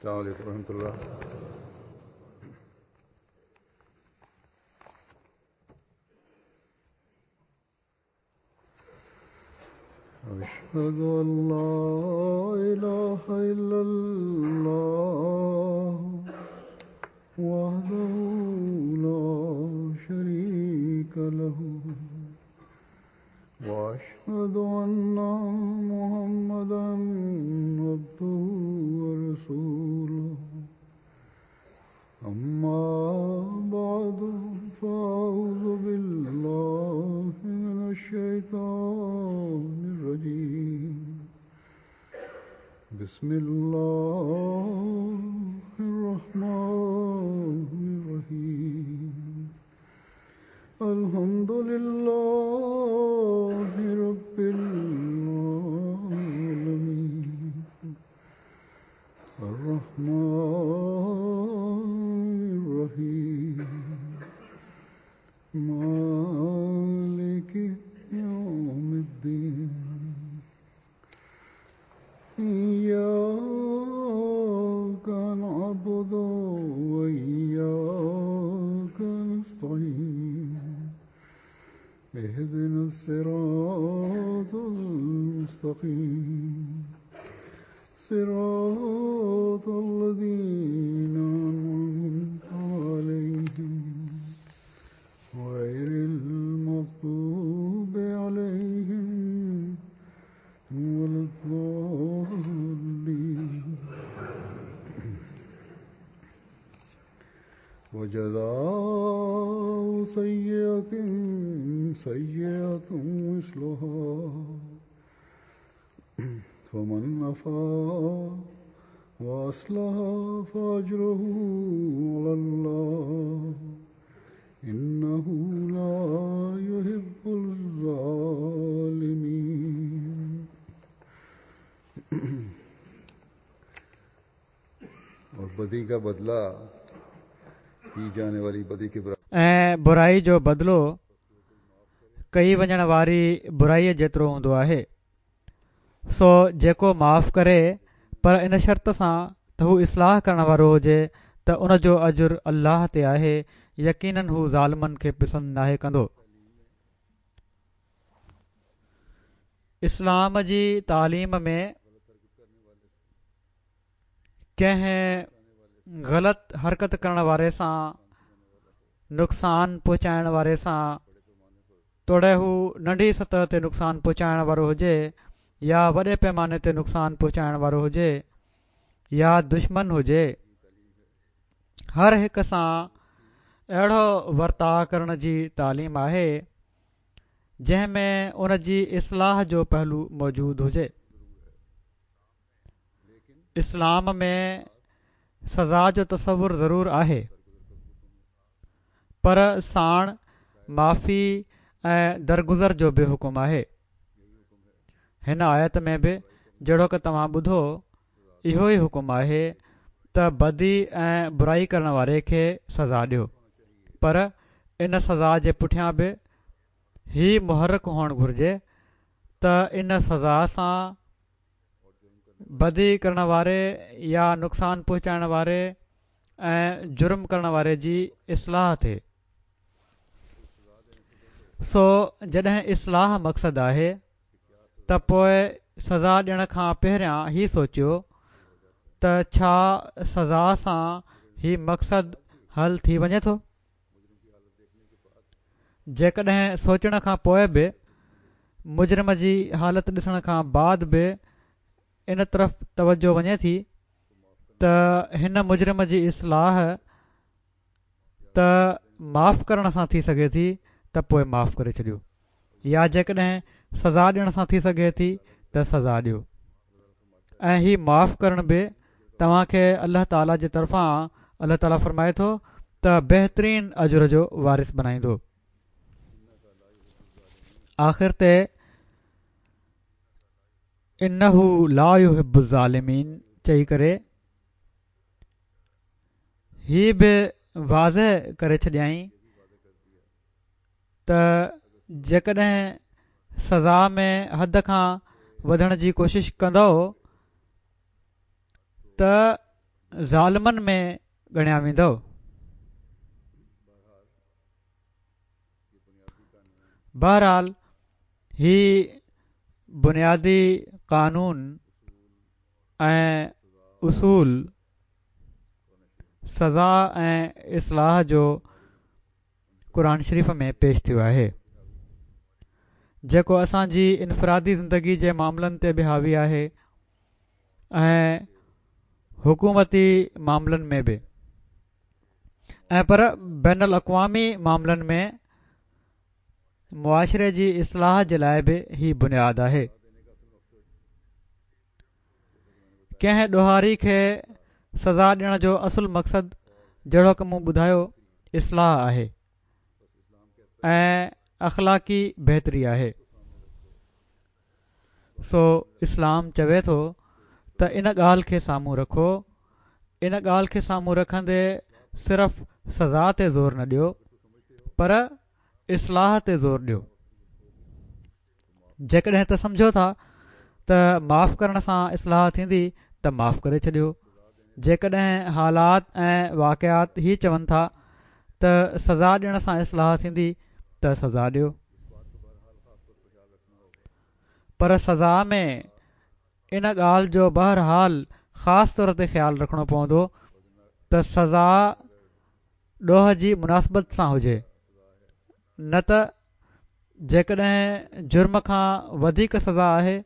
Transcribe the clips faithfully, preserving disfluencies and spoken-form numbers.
السلام علیکم ورحمۃ اللہ۔ أشهد أن لا إله إلا الله وحده لا شريك له وأشهد أن محمدا عبده ورسوله أما بعد فأعوذ بالله من الشيطان الرجيم بسم الله الرحمن الرحيم الحمد لله رب العالمين الرحمن الرحيم مالك يوم الدين إياك نعبد وإياك نستعين اهدنا الصراط المستقيم صراط الذين أنعمت عليهم غير المغضوب عليهم ولا الضالين. وجزاء سيئة سيئة مثلها فمن عفا وأصلح فأجره على الله إنه لا يحب الظالمين. اور بدی کا بدلہ کی جانے والی بدی کے برابر ۽ برائي جو بدلو ڪئي وڃڻ واري برائي جيترو هوندو آهي. سو جيڪو معاف ڪري پر ان شرط سان ته هو اصلاح ڪرڻ وارو هجي ته ان جو اجر الله تي آهي، يقينن هو ظالمن کي پسند ناهي ڪندو. اسلام جي تعليم ۾ ڪنهن غلط حرڪت ڪرڻ واري سان، نقصان پهچائڻ واري سان، توڙي هو ننڍي سطح تي نقصان پهچائڻ وارو هجي يا وڏي پيماني تي نقصان پهچائڻ وارو هجي يا دشمن هجي، هر هڪ سان اهڙو ورتاءُ ڪرڻ جي تعليم آهي جنهن ۾ ان جي اصلاح جو پهلو موجود هجي. اسلام ۾ سزا جو تصور ضرور آهي پر ساڻ معافي ۽ درگذر جو به حڪم آهي. هن آيت ۾ به جهڙوڪ توهان ٻڌو اهو ئي حڪم آهي ته بدي ۽ برائي ڪرڻ واري کي سزا ڏيو، پر ان سزا جي پٺيان به هي محرڪ هئڻ گهرجي ته ان سزا سان بدي ڪرڻ واري يا نقصان پهچائڻ واري ۽ جرم ڪرڻ واري جي اصلاح ٿئي. سو جڏهن اصلاح مقصد آهي ته پوءِ سزا ڏيڻ کان پهريان هي سوچيو ته ڇا سزا سان هي مقصد حل ٿي وڃي ٿو؟ جيڪڏهن سوچڻ کان پوءِ به مجرم جي حالت ڏسڻ کان بعد به ان طرف توجه وڃي ٿي ته هن مجرم جي اصلاح ته معاف ڪرڻ سان ٿي سگهي ٿي ته پوءِ معاف ڪري ڇڏيو، يا جيڪڏهن سزا ڏيڻ سان ٿي سگهي ٿي ته سزا ڏيو. ۽ هي معاف ڪرڻ به توهان کي الله تعاليٰ جي طرفان الله تعاليٰ فرمائي ٿو ته بهترين اجر جو وارث بڻائيندو. آخر تي انه لا يحب الظالمين چئي ڪري هي به واضح ڪري ڇڏيائين ته جيڪڏهن سزا ۾ حد کان وڌڻ جي ڪوشش ڪندؤ ته ظالمن ۾ ڳڻيا ويندؤ. بهرحال هي بنيادي قانون ۽ اصول سزا ۽ اصلاح جو قرآن شريف ۾ پيش ٿيو آهي، جيڪو اسان جي انفرادي زندگي جي معاملن تي به حاوي آهي ۽ حڪومتي معاملن ۾ به ۽ پر بين الاقوامي معاملن ۾ معاشري جي اصلاح جي لاءِ به هي بنياد آهي. ڪنهن ڏوهاري کي سزا ڏيڻ جو اصل مقصد جهڙوڪ مون ٻڌايو اصلاح آهي ۽ اخلاقي بهتري آهي. سو اسلام چوي ٿو ته ان ڳالهه کي سامهون رکو. ان ڳالهه کي سامهون رکندي صرف سزا تي زور نه ڏيو پر اصلاح تي زور ڏيو. جيڪڏهن ته سمجهو ٿا ته معاف ڪرڻ سان اصلاح ٿيندي ته معاف ڪري ڇڏيو. جيڪڏهن حالات ۽ واقعات هي چون ٿا ته سزا ڏيڻ سان اصلاح ٿيندي ته سزا ڏيو، پر سزا ۾ ان ڳالهه جو بهرحال خاص طور تي خيال رکڻو پوندو ته سزا ڏوهه جي مناسبت سان هجي، نه ته جيڪڏهن جرم کان وڌيڪ سزا آهي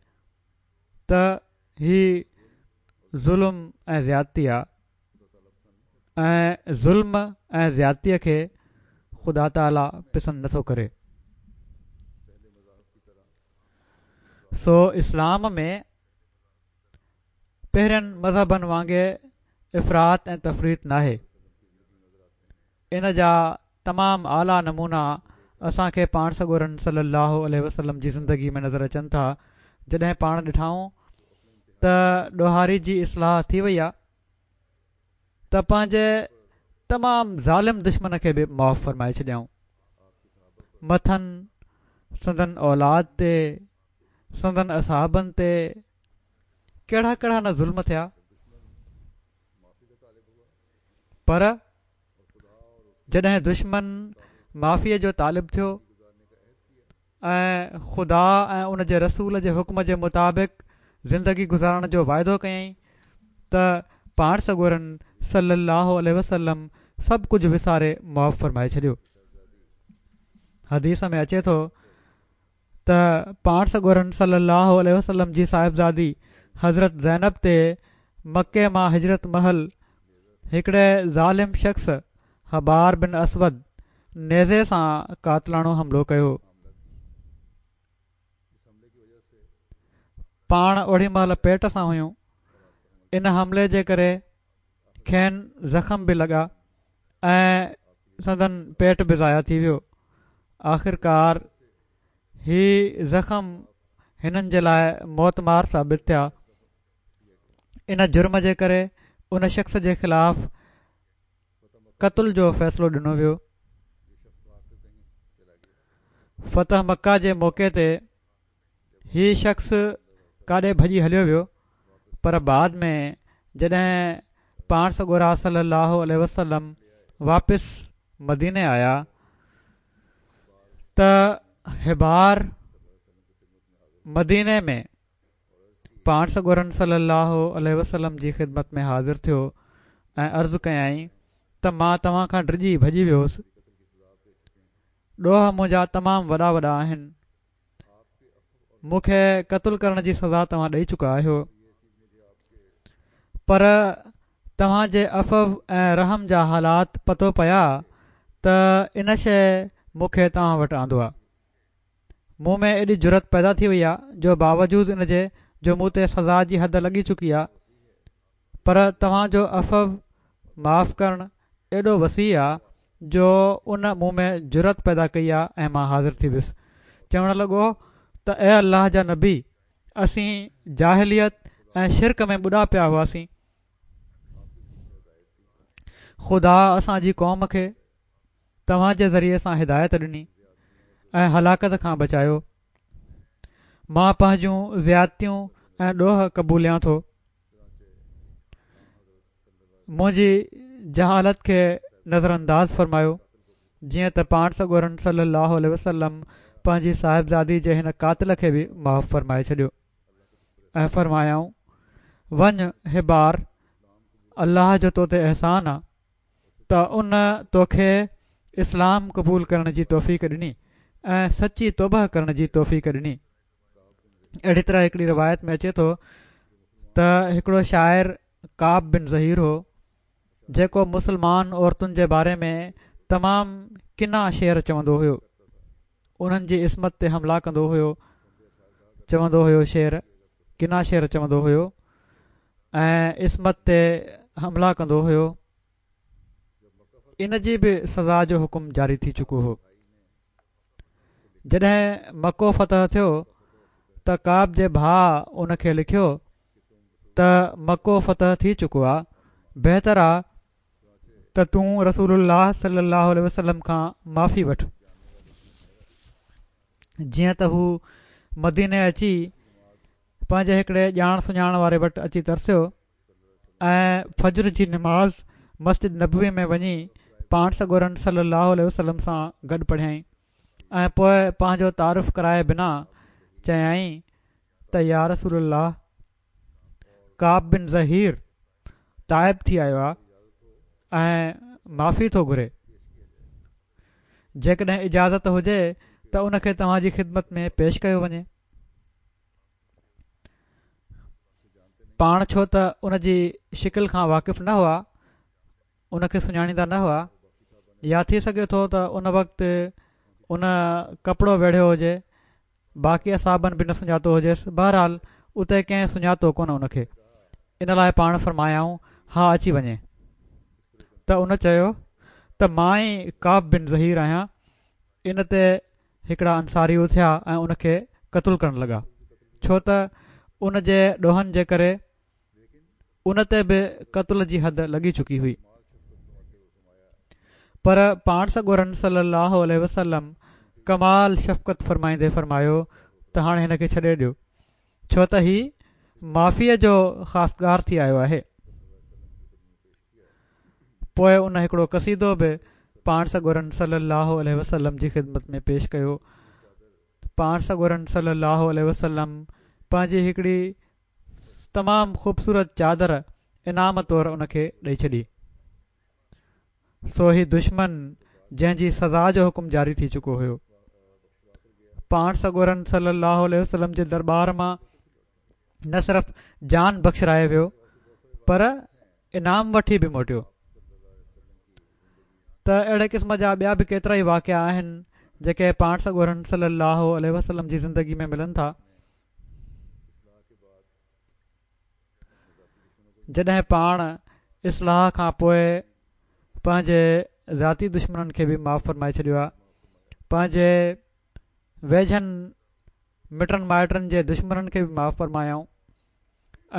ته هي ظلم ۽ زيادتي آهي ۽ ظلم ۽ زيادتيءَ کي خدا تعاليٰ پسند نٿو ڪري. سو اسلام ۾ پهرين مذهبن وانگي افراط ۽ تفريط ناهي. ان جا تمام اعليٰ نمونا اسان کي پاڻ سڳورن صلي الله عليه وسلم جي زندگي ۾ نظر اچن ٿا. جڏهن پاڻ ڏٺائون ته ڏوهاري جي اصلاح ٿي وئي آهي ته پنهنجي تمام ظالم دشمن کي به معاف فرمائي ڇڏيائون. مٿن سندن اولاد تي، سندن اصحابن تي ڪهڙا ڪهڙا نه ظلم ٿيا، پر جڏهن دشمن معافيءَ جو طالب ٿيو ۽ خدا ۽ ان جي رسول جي حڪم جي مطابق زندگي گذارڻ جو واعدو ڪيائين ته پاڻ سڳورن صلي الله عليه وسلم سڀ ڪجهه وساري معاف فرمائي ڇڏيو. حديث ۾ اچي ٿو ته پاڻ سڳورن صلي الله عليه وسلم جي صاحبزادي حضرت زينب تي مڪي مان هجرت مهل هڪڙي ظالم شخص حبار بن اسود نيزي سان قاتلاڻو حملو ڪيو. پاڻ اوڏي مهل پيٽ سان هيون. ان حملي جي ڪري کين زخم به لڳا ۽ سندن پيٽ به ضايع ٿي ويو. آخرڪار هي زخم هنن جي لاءِ موتمار ثابت ٿيا. ان جرم جي ڪري ان شخص جي خلاف قتل جو فيصلو ڏنو ويو. فتح مڪه جي موقعي تي هي شخص ڪاڏي ڀڄي هليو ويو، پر بعد ۾ جڏهن پاڻ سڳورا صلي الله عليه وسلم واپس مديني آيا ته حبار مديني ۾ پاڻ سڳورن صلي الله عليه وسلم جي خدمت ۾ حاضر ٿيو ۽ عرض ڪيائين ته مان توهان کان ڊڄي ڀڄي ويو هوس. ڏوهه منهنجا تمام وڏا وڏا آهن، مون کي قتل ڪرڻ جي سزا توهان ڏئي چڪا آهيو، پر توهان جي عفو ۽ رحم جا حالات پتو پيا ته ان شيءِ مون کي توهان وٽ آندو آهي. مون ۾ ايڏي جرئت پيدا ٿي وئي آهي جو باوجود ان جي جو مون تي سزا جي حد لڳي چڪي آهي، پر توهان جو عفو معاف ڪرڻ ايڏو وسيع آهي جو ان مون ۾ جرئت پيدا ڪئي آهي ۽ مان حاضر ٿي ويس. چوڻ لڳو ته اي الله جا نبي، اسين جاهليت ۽ شرڪ ۾ ٻڏا پيا هئاسين. خدا اسان جي قوم کي توهان جي ذريعي سان هدايت ڏني ۽ هلاڪت کان بچايو. مان پنهنجون زيادتيون ۽ ڏوهه قبوليان ٿو. منهنجي جهالت کي نظرانداز فرمايو. جيئن ته پاڻ سڳورن صلي الله عليه وسلم پنهنجي صاحبزادي جي هن قاتل کي به معاف فرمائي ڇڏيو ۽ فرمايائون، وڃ هبار، الله جو تو تي احسان آ ته ان توکي اسلام قبول ڪرڻ جي توفيق ڏني ۽ سچي توبه ڪرڻ جي توفيق ڏني. اهڙي طرح هڪڙي روايت ۾ اچي ٿو ته هڪڙو شاعر ڪعب بن ظهير هو، جيڪو مسلمان عورتن جي باري ۾ تمام ڪنا شعر چوندو هيو، انهن جي عصمت تي حملا ڪندو هيو، چوندو هيو شعر، ڪنا شعر چوندو هيو ۽ عصمت تي حملا ڪندو هيو. ان جي به سزا جو حڪم جاري ٿي چڪو هو. جڏهن مڪو فتح ٿيو ته ڪعب جي ڀاء ان کي لکيو ته مڪو فتح ٿي چڪو آ، بهتر آ ته تون رسول الله صلي الله عليه وسلم کان معافي وٺ. جيئن ته هو مديني اچي پنهنجي هڪڙي ڄاڻ سڃاڻ واري وٽ اچي ترسيو ۽ فجر جي نماز مسجد نبوي ۾ وڃي پاڻ سڳورن صلي الله عليه وسلم سان گڏ پڙهيائين ۽ پوءِ پنهنجو تعارف ڪرائي بنا چيائين ته يا رسول الله، ڪعب بن ظهير تائب ٿي آيو آ ۽ معافي ٿو گهري، جيڪڏهن اجازت هجي ته ان کي توهان جي خدمت ۾ پيش ڪيو وڃي. پاڻ ڇو ته ان جي شڪل کان واقف نه هئا، ان کي سڃاڻيندا نه هئا، يا ٿي سگهي ٿو ته ان وقت ان ڪپڙو ويڙهيو هجي، باقي اصحابن به نه سڃاتو هجيس. بهرحال اتي ڪنهن سڃاتو ڪونه ان کي، ان لاءِ پاڻ فرمايائون، ها اچي وڃي. ته ان چيو ته مان ئي ڪعب بن ظهير آهيان. ان تي هڪڙا انصاري اٿيا ۽ ان کي قتل ڪرڻ لڳا، ڇو ته ان جي ڏوهن جي ڪري ان تي به قتل جي حد لڳي چڪي هئي. پر پاڻ سڳورن صلي الله عليه وسلم ڪمال شفقت فرمائيندي فرمايو ته هاڻي هن کي ڇڏي ڏيو، ڇو ته هي معافيءَ جو خواستگار ٿي آيو آهي. پوءِ ان هڪڙو قصيدو به پاڻ سڳورن صلي الله عليه وسلم جي خدمت ۾ پيش ڪيو. پاڻ سڳورن صلي الله عليه وسلم پنهنجي هڪڙي تمام خوبصورت چادر انعام طور ان کي ڏئي ڇڏي. سو هي دشمن جنهن جي سزا جو حڪم جاري ٿي چڪو هيو، پاڻ سڳورن صلي الله عليه وسلم جي درٻار مان نه صرف جان بخشرائي ويو پر انعام وٺي به موٽيو. ته اهڙي قسم جا ٻيا به ڪيترا ئي واقعا آهن جيڪي پاڻ سڳورن صلي الله عليه وسلم جي زندگي ۾ ملن ٿا. جڏهن پاڻ اصلاح کان پوءِ پنهنجي ذاتي دشمنن کي به معاف فرمائي ڇڏيو آهي، پنهنجي ويجهن مٽن مائٽن جي دشمنن کي به معاف فرمايائون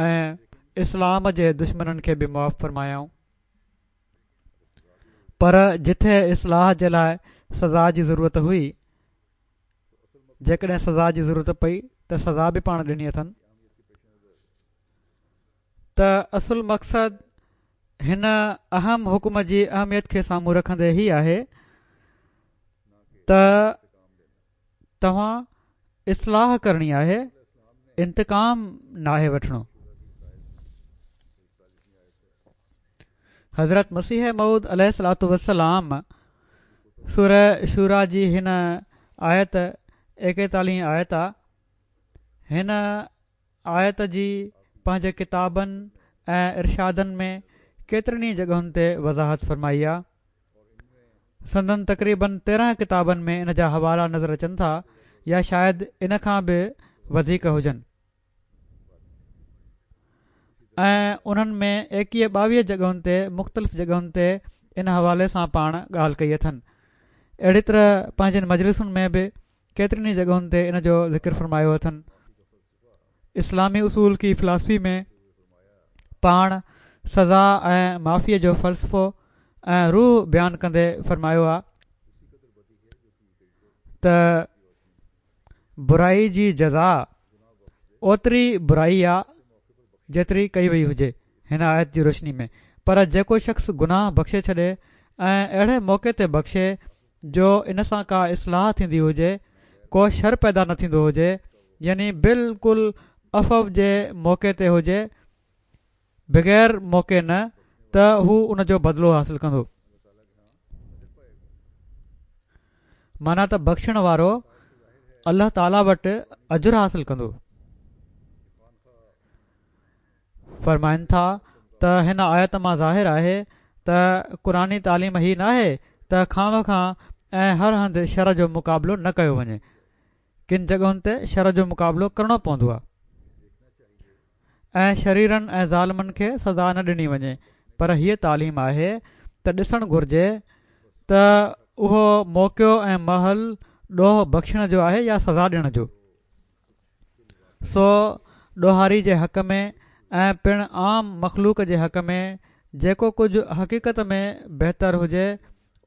۽ اسلام جي دشمنن کي به معاف فرمايائون. پر جٿي اصلاح جي لاءِ سزا جي ضرورت هئي، جيڪڏهن سزا جي ضرورت پئي ته سزا به پاڻ ڏني اٿن. ته اصل مقصد هن اهم حڪم جي اهميت کي سامهون رکندي هي آهي ته توهان اصلاح ڪرڻي آهي، انتقام ناهي وٺڻو. حضرت مسيح موعود عليه الصلوة والسلام سوره شوريٰ جي هن آيت ايڪيتاليهه آيت آ، هن آيت جي پنهنجي ڪتابن ۽ ارشادن ۾ ڪيترن ئي جڳهن تي وضاحت فرمائي آ. سندن تقريبن تيرهن ڪتابن ۾ ان جا حوالا نظر اچن ٿا، يا شايد ان کان به وڌيڪ هجن، ۽ انهن ۾ ايڪويهه ٻاويهه جڳهن تي مختلف جڳهن تي ان حوالي سان پاڻ ڳالهه ڪئي اٿن. اهڙي طرح پنهنجن مجلسن ۾ به ڪيترين ئي جڳهن تي ان جو ذڪر فرمايو اٿن. اسلامي اصول ڪي فلاسفي ۾ پاڻ سزا ۽ معافيءَ جو فلسفو ۽ روح بيان ڪندي فرمايو آ ته برائي جي جزا اوتري برائي آ جيتري ڪئي وئي هجي. هن آيت جي روشني ۾ پر جيڪو شخص گناهه بخشي ڇڏي ۽ اهڙي موقعي تي بخشي جو ان سان ڪا اصلاح ٿيندي هجي، ڪو شر پيدا نه ٿيندو هجي، يعني بلڪل عفو جي موقعي تي هجي، بغير موقعي نه، ته هو ان جو بدلو حاصل ڪندو. معنيٰ ته بخشڻ وارو الله تعاليٰ وٽ اجر حاصل ڪندو. فرمائن ٿا ته هن آيت مان ظاهر آهي ته قرآني تعليم هي ناهي ته خوامخواه ۽ هر هنڌ شر جو مقابلو نه ڪيو وڃي. ڪن جڳهن تي شر جو مقابلو ڪرڻو پوندو آهي ۽ شريرن ۽ ظالمن کي سزا نه ڏني وڃي، پر هيء تعليم آهي ته ڏسڻ گهرجي ته اهو موقعو ۽ محل ڏوهه بخشڻ جو آهي يا سزا ڏيڻ جو. سو ڏوهاري جي حق ۾ ۽ پڻ عام مخلوق جي حق ۾ جيڪو ڪجهه حقيقت ۾ بهتر هجي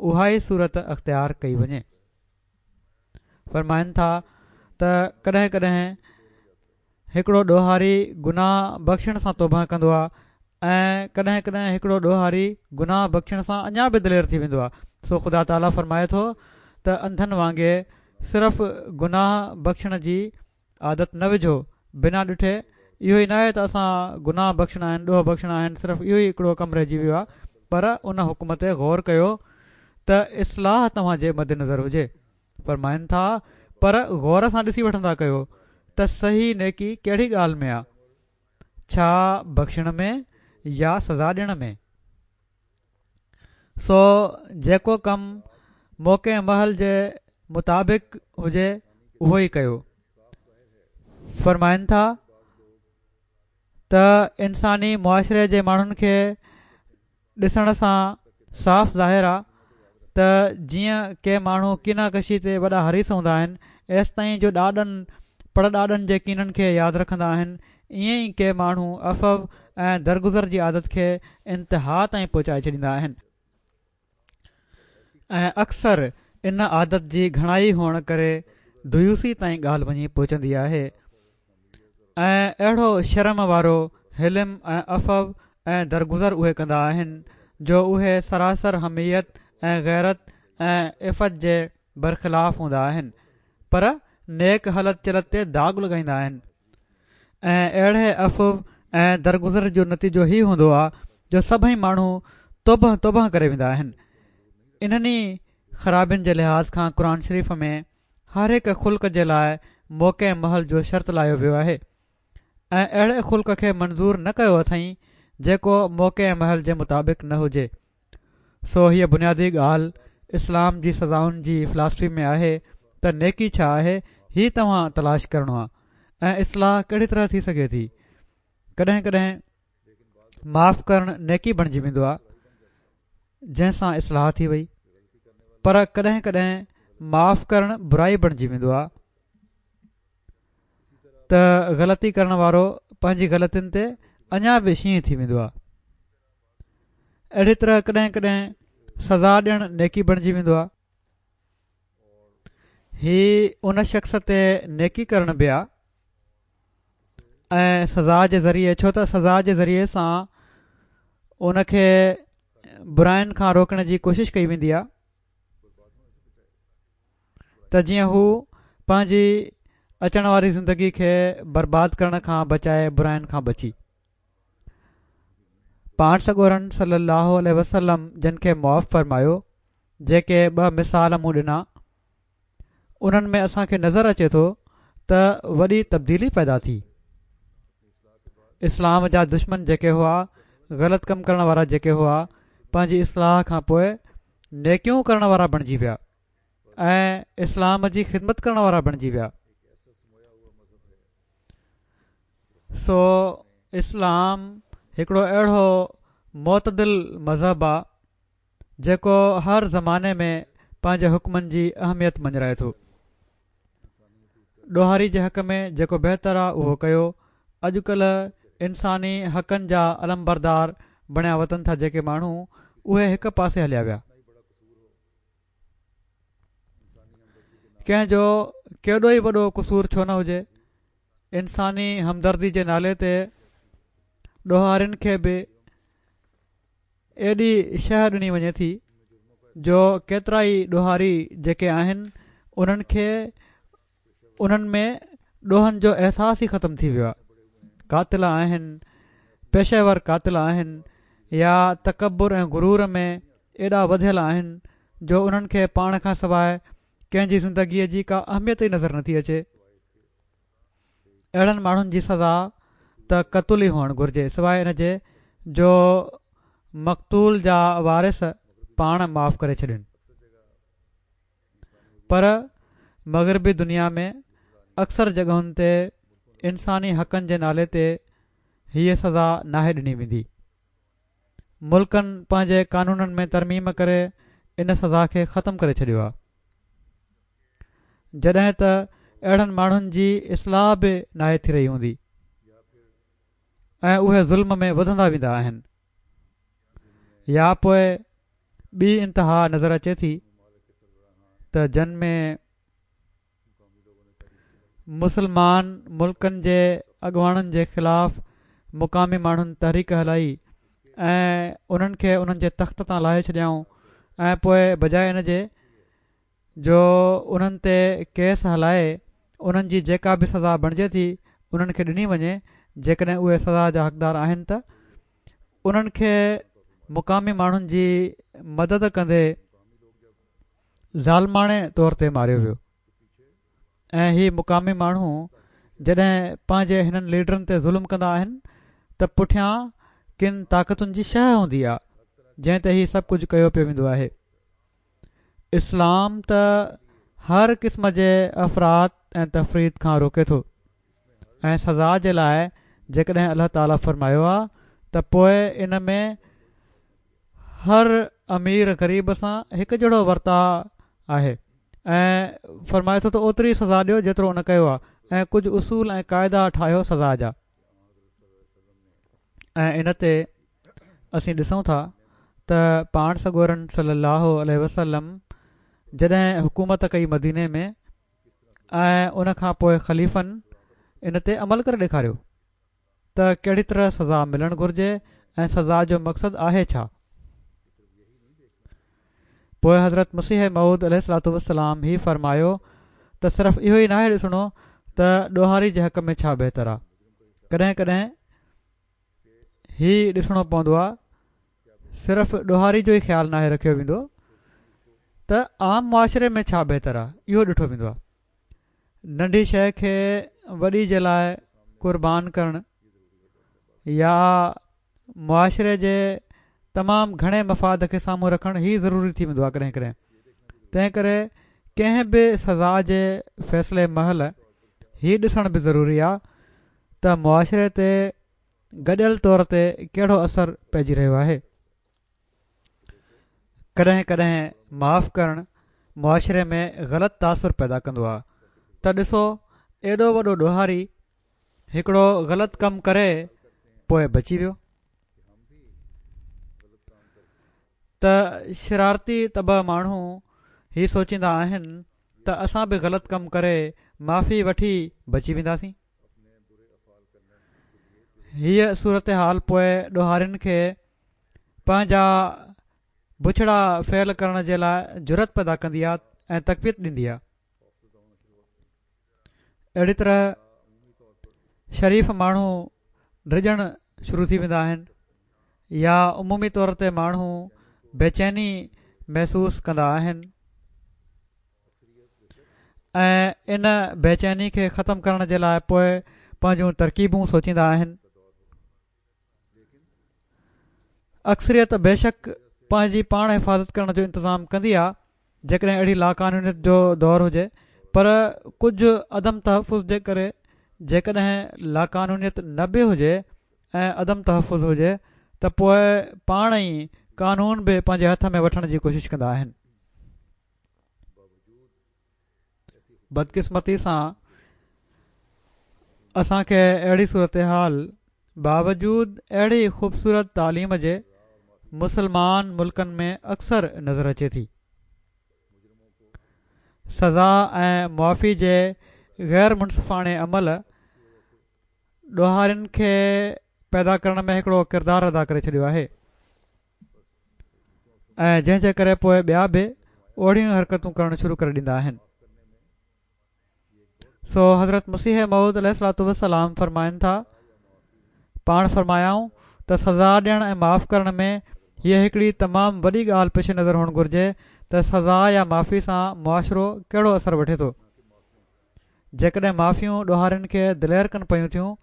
اها ئي صورت اختيار ڪئي وڃي. فرمائن ٿا ته ڪڏهن ڪڏهن هڪڙو ڏوهاري گناهه بخشڻ سان توبه ڪندو آهي ۽ ڪڏهن ڪڏهن هڪڙو ڏوهاري گناهه بخشڻ سان اڃا به دلير ٿي ويندو آهي. سو خدا تعاليٰ فرمائي ٿو ته انڌن وانگي صرف گناهه بخشڻ جي عادت نه وجهو، بنا ڏٺي. اهو ئي ناهي ته اسان گناهه بخشڻا آهن، ڏوهه بخشڻا آهن، صرف اهو ئي هڪڙو ڪم رهجي ويو آهي، پر ان حڪم تي غور ڪيو ته اصلاح توهان جي مد نظر هجي. فرمائن ٿا پر غور سان ڏسي وٺندا ڪيو ته صحيح نيڪي ڪهڙي ڳالهه ۾ آهي، ڇا بخشڻ ۾ يا سزا ڏيڻ ۾؟ سو جيڪو ڪم موقعي محل جي مطابق هجي اهو ئي ڪيو. فرمائن ٿا ته انساني معاشري جي ماڻهن کي ڏسڻ سان صاف ظاهر آهي ته جيئن ڪي ماڻهو ڪينا ڪشي تي وڏا حريص هوندا آهن، ايستائين جو ڏاڏن پڙڏاڏن جي ڪينن کي ياد رکندا آهن، ائين ئي ڪي ماڻهو عفو ۽ درگذر جي عادت کي انتها تائين پهچائي ڇڏيندا آهن ۽ اڪثر ان عادت جي گهڻائي هئڻ ڪري ديوثي تائين ڳالهه وڃي پهچندي آهي ۽ اهڙو شرم وارو حلم ۽ عفو ۽ درگذر اهي ڪندا آهن جو اهي سراسر حميت ۽ غيرت ۽ عفت جي برخلاف هوندا آهن، پر نيڪ هلت چلت تي داغ لڳائيندا آهن ۽ اهڙي عفو ۽ درگذر جو نتيجو هي هوندو آهي جو سڀئي ماڻهو توبه توبه ڪري ويندا آهن. انهن ئي خرابين جي لحاظ کان قرآن شريف ۾ هر هڪ خلق جي لاء موقعي محل جو شرط لايو ويو آهي ۽ اهڙي خلق کي منظور نه ڪيو اٿئين جيڪو موقعي محل جي مطابق نه هجي. سو هيء بنيادي ڳالهه اسلام جي سزائن جي فلاسفي ۾ آهي ته نيڪي ڇا آهي، هي توهان تلاش ڪرڻو آهي ۽ اصلاح ڪهڙي طرح ٿي سگهي ٿي. ڪڏهن ڪڏهن معاف ڪرڻ نيڪي بڻجي ويندو آهي جنهن سان اصلاح ٿي وئي، پر ڪڏهن ڪڏهن معاف ڪرڻ برائي بڻجي ويندو آهي ته غلطي ڪرڻ وارو پنهنجي غلطين تي اڃا به شينهن ٿي ويندو آهي. اهڙي طرح ڪڏهن ڪڏهن سزا ڏيڻ نيڪي بڻجي ويندو آهي. هي ان شخص تي نيڪي ڪرڻ به آهي ۽ سزا جي ذريعي، ڇو ته سزا جي ذريعي سان ان کي براين کان روڪڻ جي ڪوشش ڪئي ويندي آهي ته جيئن هو پنهنجي اچڻ واري زندگي کي برباد ڪرڻ کان بچائي براين کان بچي. پاڻ سڳورن صلي الله عليه وسلم جن کي معاف فرمايو، جيڪي ٻه مثال مون ڏنا انهن ۾ اسان کي نظر اچي ٿو ته وڏي تبديلي پيدا ٿي. اسلام جا دشمن جيڪي هئا، غلط ڪم ڪرڻ وارا جيڪي هئا، پنهنجي اصلاح کان پوء نيڪيون ڪرڻ وارا بڻجي ويا ۽ اسلام جي خدمت ڪرڻ وارا بڻجي ويا. سو اسلام هڪڙو اهڙو معتدل مذهب آ جيڪو هر زماني ۾ پنهنجي حڪمن جي اهميت مڃرائي ٿو. ڏوهاري جي حق ۾ جيڪو بهتر آ اهو ڪيو. اڄڪلهه انساني حقن جا علمبردار بڻيا وتن ٿا جيڪي ماڻهو، اهي هڪ پاسي هليا ويا. ڪنهن جو ڪيڏو ئي وڏو قصور ڇو نه هجي، انساني همدردي جي نالي تي ڏوهارين کي به ايڏي شهه ڏني وڃي ٿي جو ڪيترا ئي ڏوهاري جيڪي آهن انهن کي انهن ۾ ڏوهن جو احساس ئي ختم ٿي ويو آهي. قاتل آهن، پيشيور قاتل آهن يا تڪبر ۽ غرور ۾ ايڏا وڌيل آهن جو انهن کي پاڻ کان سواءِ ڪنهن جي زندگيءَ جي ڪا اهميت ئي نظر نٿي اچي. اهڙن ماڻهن جي سزا ته قتل ئي هئڻ گهرجي، سواءِ ان جي جو مقتول جا وارث پاڻ معاف ڪري ڇڏين. پر مغربي دنيا ۾ اڪثر جڳهن تي انساني حقن جي نالي تي هيءَ سزا ناهي ڏني ويندي. ملڪن پنهنجي قانونن ۾ ترميم ڪري ان سزا کي ختم ڪري ڇڏيو آهي، جڏهن ته اهڙن ماڻهن جي اصلاح به ناهي ٿي رهي هوندي ۽ اهي ظلم ۾ وڌندا ويندا آهن. يا پوءِ ٻي انتها نظر اچي ٿي ته جن ۾ مسلمان ملڪن جي اڳواڻن جي خلاف مقامي ماڻهن تحريڪ هلائي ۽ انهن کي انهن جي تخت تان لاهي ڇڏيائون ۽ پوءِ بجاءِ ان جي جو انهن تي ڪيس هلائي انهن جي جيڪا به سزا بڻجي ٿي انهن کي ڏني وڃي، جيڪڏهن اهي سزا جا حقدار آهن ته انهن کي مقامي ماڻهن جي مدد ڪندي ظالماڻي طور تي ماريو ويو. ۽ هي مقامي ماڻهو جڏهن پنهنجي هنن ليڊرن تي ظلم ڪندا آهن ته پٺيان ڪن طاقتن جي شهه هوندي آهي جنهن تي هي سڀ ڪجهه ڪيو پيو ويندو آهي. اسلام ته هر قسم جي افراط ۽ تفريط کان روڪي ٿو ۽ سزا جي لاءِ جيڪڏهن الله تعاليٰ فرمايو آهي ته پوءِ ان ۾ هر امير غريب سان هڪ جهڙو ورتاءُ آهي ۽ فرمائي ٿو ته اوتري سزا ڏيو جيترو ان ڪيو آهي ۽ ڪجهه اصول ۽ قاعدا ٺاهيو سزا جا. ۽ ان تي اسين ڏسون ٿا ته پاڻ سڳورن صلي الله عليه وسلم جڏهن حڪومت ڪئي مديني ۾ ۽ ان کان پوءِ خليفن ان تي عمل ڪري ڏيکاريو ته ڪهڙي طرح سزا ملڻ گهرجي ۽ سزا جو مقصد آهي ڇا. پوءِ حضرت مسيح موعود عليه الصلوة والسلام هي فرمايو ته صرف اهو ئي ناهي ڏسڻو ته ڏوهاري جي حق ۾ ڇا بهتر آهي، ڪڏهن ڪڏهن هي ڏسڻو پوندو آهي صرف ڏوهاري جو ئي خيال ناهي رکيو ويندو ته عام معاشري ۾ ڇا بهتر آهي اهو ڏٺو ويندو آهي. ننڍي شيءِ کي وڏي جي لاءِ قربان ڪرڻ يا معاشري جي تمام گهڻي مفاد کي سامهون رکڻ هي ضروري ٿي ويندو آهي ڪڏهن ڪڏهن. تنهن ڪري ڪنهن به سزا جي فيصلي مهل هي ڏسڻ به ضروري آهي ته معاشري تي گڏيل طور تي ڪهڙو اثر پئجي رهيو آهي. ڪڏهن ڪڏهن معاف ڪرڻ معاشري ۾ غلط تاثر پيدا ڪندو آهي ته ڏسو ايڏو وڏو ڏوهاري هڪڙو غلط ڪم ڪري پوءِ بچي ويو، ته شرارتي طبع ماڻهو هي سوچيندا آهن ته اسان به غلط ڪم ڪري معافي وٺي بچي وينداسين. هيءَ صورت حال پوءِ ڏوهارين کي پنهنجا بڇڙا فعل ڪرڻ جي لاءِ جرئت پيدا ڪندي آهي ۽ تقويت ڏيندي آهي. اهڙي طرح شريف ماڻهو ڊڄڻ شروع ٿي ويندا آهن يا عمومي طور تي ماڻهو بيچيني محسوس ڪندا آهن ۽ ان بيچيني کي ختم ڪرڻ جي لاءِ پوءِ پنهنجون ترڪيبون سوچيندا آهن. اڪثريت بيشڪ پنهنجي پاڻ حفاظت ڪرڻ جو انتظام ڪندي آهي جيڪڏهن اهڙي لاقانونيت جو دور هجي، پر ڪجهه عدم تحفظ جي ڪري جيڪڏهن لاقانونيت نه به هجي ۽ عدم تحفظ هجي ته پوءِ پاڻ ئي قانون به پنهنجي هٿ ۾ وٺڻ جي ڪوشش ڪندا آهن. بدقسمتي سان اسان کي اهڙي صورتحال باوجود اهڙي خوبصورت تعليم جي مسلمان ملڪن ۾ اڪثر نظر اچي ٿي. سزا ۽ معافي جي غير منصفاڻي عمل ڏوهارين کي پيدا ڪرڻ ۾ هڪڙو ڪردار ادا ڪري ڇڏيو آهي. ۽ جنهن جي ڪري پوءِ ٻيا به اهڙيون حرڪتون ڪرڻ شروع ڪري ڏيندا آهن. سو حضرت مسيح موعود عليه الصلوة والسلام فرمائن ٿا، پاڻ فرمايائون ته سزا ڏيڻ ۽ معاف ڪرڻ ۾ هيءَ هڪڙي تمام وڏي ڳالهه پيش نظر هئڻ گهرجي ته سزا يا معافي سان معاشرو ڪهڙو اثر وٺي ٿو. جيڪڏهن معافيون ڏوهارين کي دلير ڪن پيون ٿيون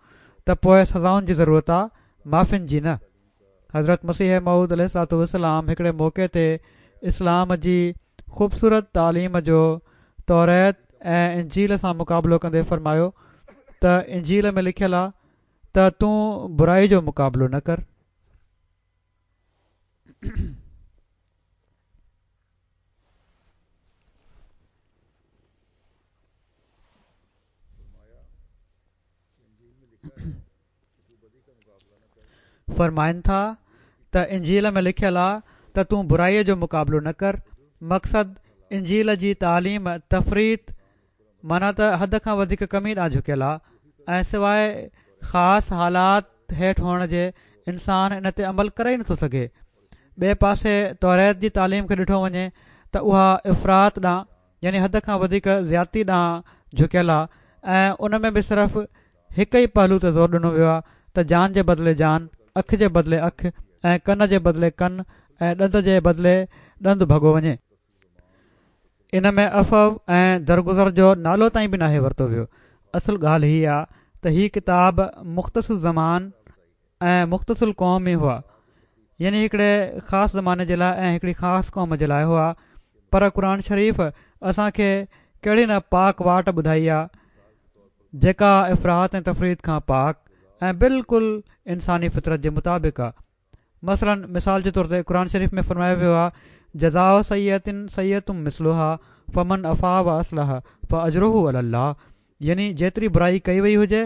ته پوءِ سزائن جي ضرورت آهي، معافين جي نه. حضرت مسيح موعود عليه الصلوة والسلام هڪڙي موقعي تي اسلام جي خوبصورت تعليم جو توريت ۽ انجيل سان مقابلو ڪندي فرمايو ته انجيل ۾ لکيل آهي ته تون برائي جو مقابلو نه ڪر. فرمائن ٿا ته انجيل ۾ لکيل آهي ته تون برائي جو مقابلو نه ڪر. مقصد انجيل جي تعليم تفريط معنيٰ ته حد کان وڌيڪ ڪمي ڏانهن جهڪيل آهي ۽ سواءِ خاص حالات هيٺ هئڻ جي انسان ان تي عمل ڪري ئي نٿو سگهي. ٻئي پاسي توريت جي تعليم کي ڏٺو وڃي ته اها افراط ڏانهن يعني حد کان وڌيڪ زيادتي ڏانهن جهڪيل آهي ۽ ان ۾ به صرف هڪ ئي پهلو تي زور ڏنو ويو آهي ته جان جي بدلي جان، اک جي بدلي اک ۽ ڪن جي بدلي ڪن ۽ ڏند جي بدلي ڏند ڀڳو وڃي. ان ۾ عفو ۽ درگذر جو نالو تائين به ناهي ورتو ويو. اصل ڳالهه هيءَ آهي ته هي ڪتاب مختص الزمان ۽ مختص القوم ئي هئا، يعني هڪڙي خاص زماني جي لاءِ ۽ هڪڙي خاص قوم جي لاءِ هئا. پر قرآن شريف اسان کي ڪهڙي نه پاڪ واٽ ٻڌائي آهي جيڪا افراط ۽ تفريط کان پاڪ ۽ بلڪل انساني فطرت جي مطابق آهي. مثلاً مثال جي طور تي قرآن شريف ۾ فرمايو ويو آهي جزاء سيئة سيئة مثلها فمن عفا واصلح فاجره علي الله، يعني جيتري برائي ڪئي وئي هجي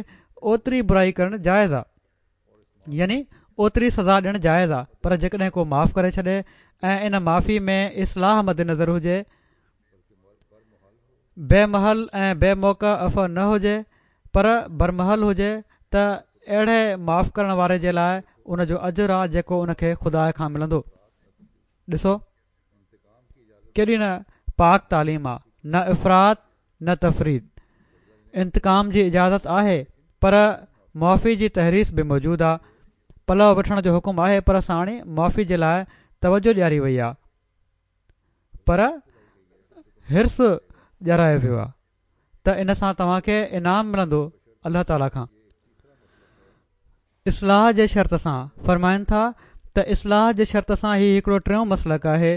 اوتري برائي ڪرڻ جائز آهي، يعني اوتري سزا ڏيڻ جائز آهي. پر جيڪڏهن ڪو معاف ڪري ڇڏي ۽ ان معافي ۾ اصلاح مد نظر هجي، بي محل ۽ بي موقع عفو نه هجي پر برمحل هجي، ته اهڙي معاف ڪرڻ واري جي لاءِ ان جو اجر آهي جيڪو ان کي خدا کان ملندو. ڏسو ڪيڏي نه پاڪ تعليم آهي، نه افراط نه تفريط. انتقام جي اجازت آهي پر معافي جي تحريص به موجود آهي. پلو وٺڻ جو حڪم آهي پر ساڻي معافي جي لاءِ توجهه ڏياري وئي آهي، پر حرص ڏيارايو ويو آهي ته ان سان توهان کي انعام ملندو الله تعاليٰ کان. اصلاح جي شرط سان فرمائن ٿا ته اصلاح جي شرط سان هي هڪڙو ٽيون مسلڪ آهي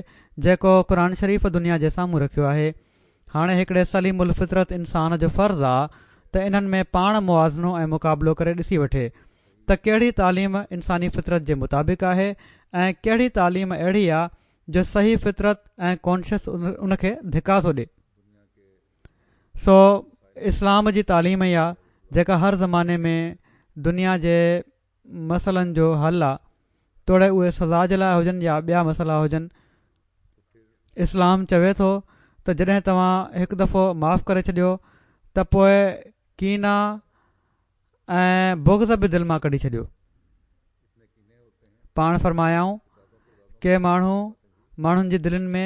جيڪو قرآن شريف دنيا جي سامهون رکيو آهي. هاڻي هڪڙي سليم الفطرت انسان جو فرض آهي ته انهن ۾ پاڻ موازنو ۽ مقابلو ڪري ڏسي وٺي ته ڪهڙي تعليم انساني فطرت جي مطابق آهي ۽ ڪهڙي تعليم اهڙي آهي جو صحيح فطرت ۽ ڪانشس ان کي ڌڪا ٿو ڏئي. سو اسلام جي تعليم ئي آهي جيڪا هر زماني ۾ دنيا جي مسئلن جو حل آهي، توڙي اهي سزا جي لاءِ هجن يا ٻيا مسئلا هجن. اسلام چوي ٿو ته جڏهن توهان هڪ دفعو معاف ڪري ڇڏيو ته پوءِ ڪينا ۽ بغض به دل مان ڪڍي ڇڏيو. پاڻ فرمايائون ڪي ماڻهو ماڻهن جي دلين ۾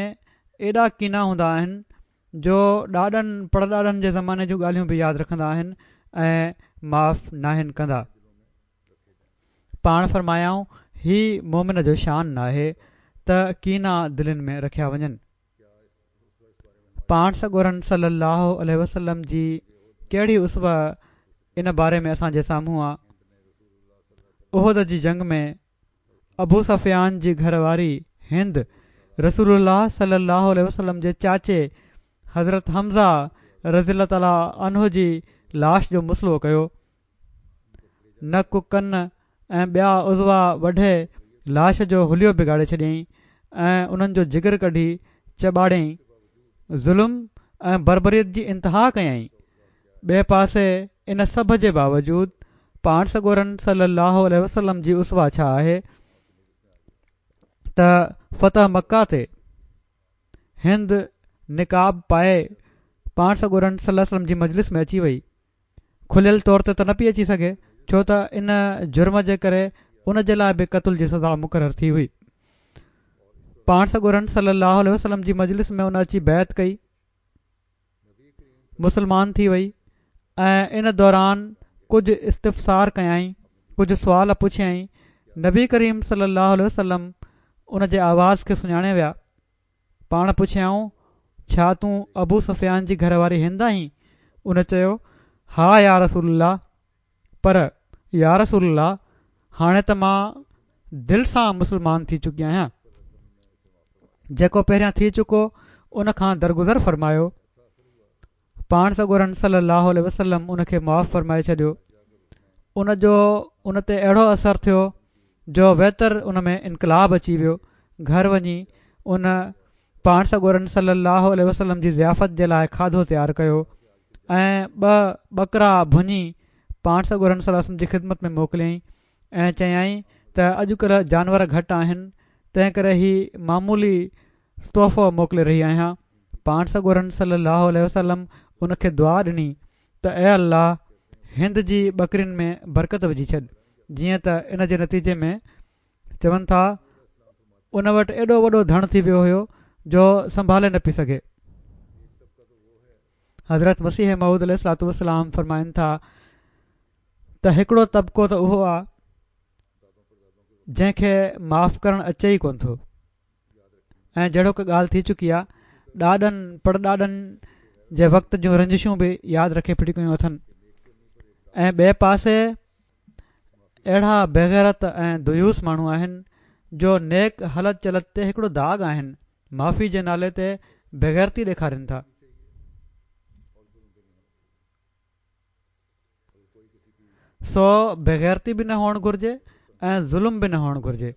ايڏا ڪينا هوندا آهن جو ڏاڏن پڙڏاڏن جي زماني جون ڳالهيون به ياد رکندا آهن ۽ معاف ناهن ڪندا. پاڻ فرمايائون هي مومن جو شان ناهي ته ڪينا دلين ۾ رکيا وڃن. پاڻ سڳورن صلي الله عليه وسلم جي ڪهڙي اسوه ان باري ۾ اسان جي سامهون آهي. احد جي جنگ ۾ ابو سفيان جي گهر واري هند رسول الله صلي الله عليه وسلم جي چاچي حضرت حمزه رضي الله تعاليٰ عنه جي لاش جو مثلو ڪيو. نڪ ڪن ۽ ٻيا عضوا وڍي لاش جو حليو بگاڙي ڇڏيائين ۽ انهن جو جگر ڪڍي چٻاڙيائين. ظلم ۽ بربريت جي انتها ڪيائين. ٻئي پاسي ان سڀ جي باوجود پاڻ سڳورن صلي الله عليه وسلم جي اسوه ڇا آهي ته فتح مڪه تي هند نقاب پائي پاڻ سڳورن صلي الله عليه وسلم جي مجلس ۾ اچي وئي. کليل طور تي ته نه پئي اچي سگهي ڇو ته ان جرم جي ڪري ان جي لاءِ به قتل جي سزا مقرر ٿي هئي. پاڻ سڳورن صلي الله عليه وسلم جي مجلس ۾ ان اچي بيعت ڪئي، مسلمان ٿي وئي ۽ ان دوران ڪجهه استفسار ڪيائين، ڪجهه سوال پڇيائين. نبي ڪريم صلي الله عليه وسلم ان جي آواز کي سڃاڻي ويا. پاڻ پڇيائون، ڇا تون ابو سفيان جي گهر واري هند آهين؟ ان چيو، ها يا رسول الله، پر يا رسول الله هاڻي ته مان دل سان مسلمان ٿي چڪي آهيان، جيڪو پهريان ٿي چڪو ان کان درگذر فرمايو. پاڻ سڳورن صلي الله عليه وسلم ان کي معاف فرمائي ڇڏيو. ان جو ان تي اهڙو اثر ٿيو جو ويتر ان ۾ انقلاب اچي ويو. گهر وڃي ان پاڻ سڳورن صلي الله عليه وسلم جي ضيافت جي لاءِ کاڌو تيار ڪيو ۽ ٻه ٻڪرا ڀڃي پاڻ سڳورن صلي الله عليه وسلم جي خدمت ۾ موڪليائين ۽ چيائين ته اڄڪلهه جانور گهٽ آهن، تنهن ڪري هي معمولي تحفو موڪلي رهي آهيان. پاڻ سڳورن صلي الله عليه وسلم ان کي دعا ڏني ته اي الله هند جي ٻڪرين ۾ برڪت وجهي ڇڏ. جيئن ته ان جي نتيجي ۾ چون ٿا ان وٽ ايڏو وڏو ڌڻ ٿي ويو هيو جو سنڀالي نه پئي سگهي. حضرت مسيح موعود عليه الصلوة والسلام فرمائن ٿا ته هڪڙو طبقو ته اهو آهي جنهن کي معاف ڪرڻ اچي ئي ڪونه ٿو، ۽ جهڙوڪ ڳالهه ٿي چڪي آهي ڏاڏن پڙڏاڏن جي وقت جون رنجشون به ياد رکي ڦٽي ڪيون اٿن، ۽ ٻئي پاسي اهڙا بيغيرت ۽ ديوث ماڻهو آهن جو نيڪ هلت چلت تي هڪڙو داغ آهن، معافي جي نالي تي بيغيرتي ڏيکارين ٿا. سو بيغيرتي به نه هئڻ گهرجي ۽ ظلم به نه هئڻ گهرجي.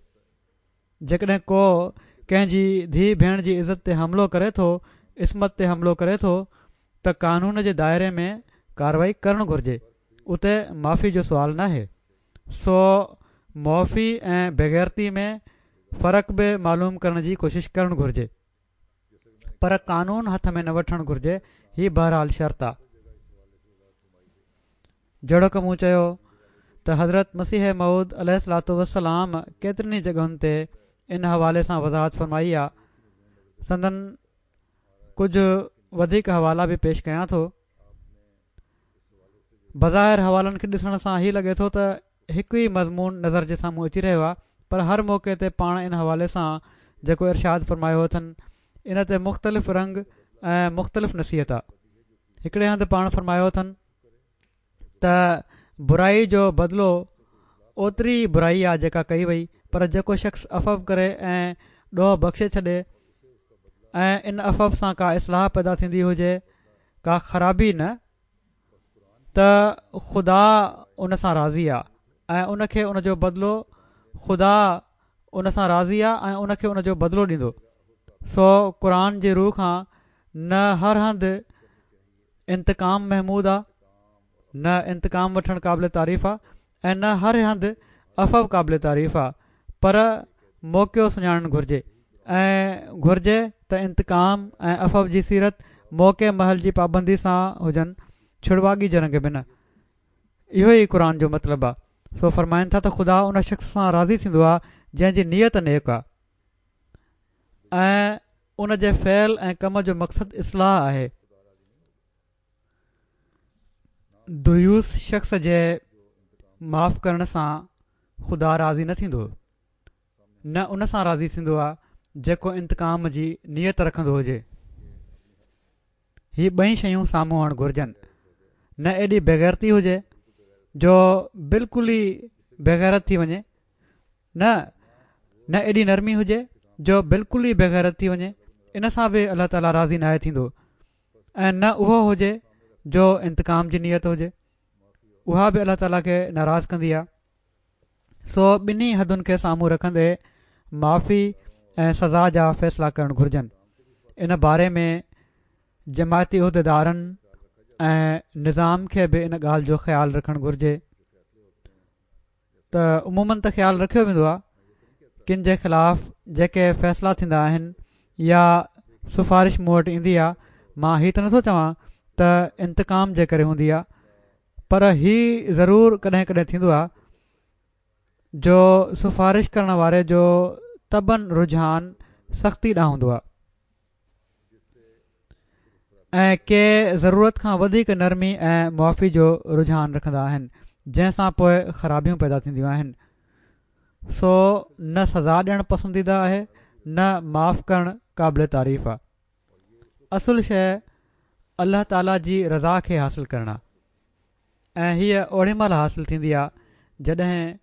جيڪڏهن ڪو ڪنهن جي ڌيءَ ڀيڻ جي عزت تي حملو ڪري ٿو، عصمت تي حملو ڪري ٿو ته قانون جي دائري ۾ ڪارروائي ڪرڻ گهرجي، اتي معافي جو سوال ناهي. سو معافي ۽ بيغيرتي ۾ فرق به معلوم ڪرڻ جي ڪوشش ڪرڻ گهرجي، پر قانون هٿ ۾ نه وٺڻ گهرجي. هي بهرحال شرط آ. جهڙوڪ مون چيو ته حضرت مسيح موعود عليه الصلوة والسلام ڪيترين ئي جڳهن تي ان حوالي سان وضاحت فرمائي آ. سندن ڪجهه وڌيڪ حوالا به پيش ڪيان ٿو. بظاهر حوالن کي ڏسڻ سان هي لڳي ٿو ته هڪ ئي مضمون نظر جي سامهون اچي رهيو آهي، پر هر موقعي تي پاڻ ان حوالي سان جيڪو ارشاد فرمايو اٿن ان تي مختلف رنگ ۽ مختلف نصيحت آ. هڪڙي هنڌ پاڻ فرمايو اٿن ته برائي جو بدلو اوتري برائي آ جيڪا ڪئي وئي، پر جيڪو شخص عفو ڪري ۽ ڏوهه بخشي ڇڏي ۽ ان عفو سان ڪا اصلاح پيدا ٿيندي هجي، ڪا خرابي نه، ته خدا ان سان راضي آ ۽ ان کي ان جو بدلو خدا ان سان راضي آ ۽ ان کي ان جو بدلو ڏيندو. سو قرآن جي روح کان نه هر هنڌ انتقام محمود آ، نه انتقام وٺڻ قابل تعريف آ ۽ نه هر هنڌ عفو قابل تعريف آ، پر موقعو سڃاڻڻ گهرجي ۽ گهرجي ته انتقام ۽ عفو جي سيرت موقعي محل جي پابندي سان هجن، ڇڙواڳي جي رنگ ۾ نه. اهو ئي قرآن جو مطلب آ. سو فرمائن ٿا ته خدا ان شخص سان راضي ٿيندو آ جنهن جي نيت نيڪ آ ۽ ان جي فعل ۽ ڪم جو مقصد اصلاح آهي. ديوث شخص جي معاف ڪرڻ سان خدا راضي نه ٿيندو، نه ان سان راضي ٿيندو آ جيڪو انتقام جي نيت رکندو هجي. هي ٻئي شيون سامهون هئڻ گهرجن، نه ايڏي بيغيرتي هجي جو بلڪل ئي بيغيرت ٿي وڃي، نه نه ايڏي نرمي هجي جو بلڪل ئي بيغيرت ٿي وڃي، ان سان به الله تعاليٰ راضي ناهي ٿيندو، ۽ نه اهو هجي جو انتقام جي نيت هجي، اها به الله تعاليٰ کي ناراض ڪندي آ. سو ٻنهي حدن کي سامهون رکندي معافي ۽ سزا جا فيصلا ڪرڻ گهرجن. ان باري ۾ جماعتي عهديدارن ۽ نظام کي به ان ڳالهه جو خيال رکڻ گهرجي ته عموماً ته خيال رکيو ويندو آهي ڪن جي خلاف جيڪي فيصلا ٿيندا آهن يا سفارش مون وٽ ايندي آهي، مان هي ته نٿو چوان ته انتقام جي ڪري هوندي آهي، پر هي ضرور ڪڏهن ڪڏهن ٿيندو آهي جو سفارش ڪرڻ واري جو طبعاً رجحان سختي ڏانهن هوندو آهي ۽ ڪي ضرورت کان وڌيڪ نرمي ۽ معافي جو رجحان رکندا آهن، جنهن سان پوءِ خرابيون پيدا ٿينديون آهن. سو نه سزا ڏيڻ پسنديده آهي نه معاف ڪرڻ قابل تعريف آهي. اصل شيءِ الله تعاليٰ جي رضا کي حاصل ڪرڻ آهي ۽ هيءَ اوڏي مهل حاصل ٿيندي آهي جڏهن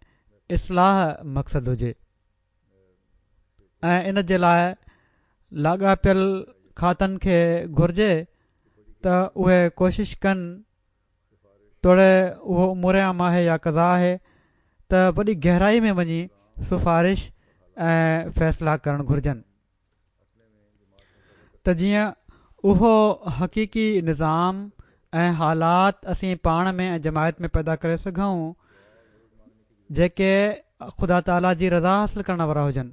اصلاح مقصد هجي ۽ ان جي لاءِ لاڳاپيل کاتن کي گهرجي ته اهي ڪوشش ڪن، توڙي اهو امور عامه آهي يا قضا آهي، ته وڏي گهرائي ۾ وڃي سفارش ۽ فيصلا ڪرڻ گهرجن ته جيئن اهو حقيقي نظام ۽ حالات اسين پاڻ ۾ ۽ جماعت ۾ پيدا ڪري سگهون جيڪي خدا تعاليٰ جي رضا حاصل ڪرڻ وارا هجن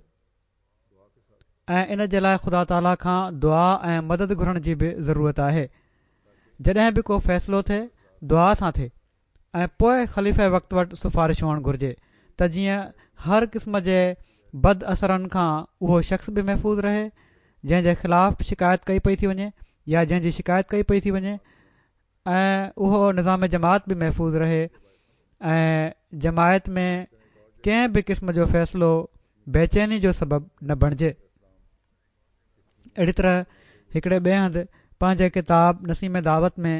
۽ ان جي لاءِ خدا تعاليٰ کان دعا ۽ مدد گهرڻ جي به ضرورت آهي. جڏهن به ڪو فيصلو ٿئي دعا سان ٿئي ۽ پوءِ خليفي وقت وٽ سفارش هئڻ گهرجي ته جيئن هر قسم جي بد اثرن کان اهو شخص به محفوظ رهي جنهن جي خلاف شڪايت ڪئي پئي ٿي وڃي يا جنهن جي شڪايت ڪئي پئي ٿي وڃي، ۽ اهو نظام جماعت به محفوظ رهي ۽ جماعت ۾ ڪنهن به قسم جو فيصلو بيچيني جو سبب نه بڻجي. اهڙي طرح هڪڙي ٻئي هنڌ پنهنجي ڪتاب نسيم دعوت ۾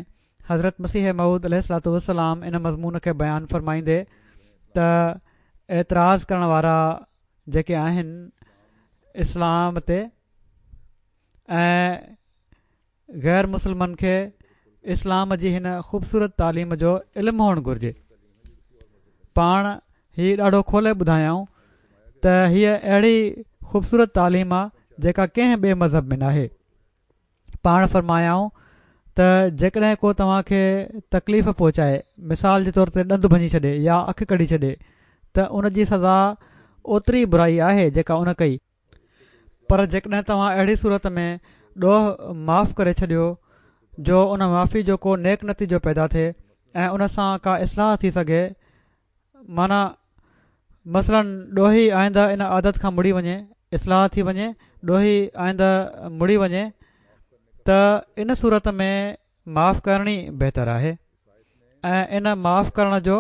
حضرت مسيح موعود عليه الصلوة والسلام ان مضمون کي بيان فرمائيندي ته اعتراض ڪرڻ وارا جيڪي آهن اسلام تي ۽ غير مسلمن کي اسلام جي هن خوبصورت تعليم جو علم هئڻ گهرجي. پاڻ هي ڏاڍو کولي ٻڌايائون ته هيءَ اهڙي خوبصورت تعليم آهي جيڪا ڪنهن ٻئي مذهب ۾ ناهي. پاڻ فرمايائون ته جيڪڏهن ڪو توهان کي تڪليف پهچائي، مثال جي طور تي ڏند ڀڃي ڇڏي يا اک ڪڍي ڇڏي، ته ان جي سزا اوتري برائي آهي جيڪا ان ڪئي. پر جيڪڏهن توهان اهڙي صورت ۾ ڏوهه معاف ڪري ڇڏيو جو ان معافي جو ڪو نيڪ نتيجو پيدا ٿئي ۽ ان سان ڪا اصلاح ٿي سگهي، معنيٰ مثلاً ڏوهي آئنده ان عادت کان مڙي وڃي، اصلاح ٿي وڃي، ڏوهي آئنده مڙي وڃي، ته ان صورت ۾ معاف ڪرڻ ئي بهتر آهي ۽ ان معاف ڪرڻ جو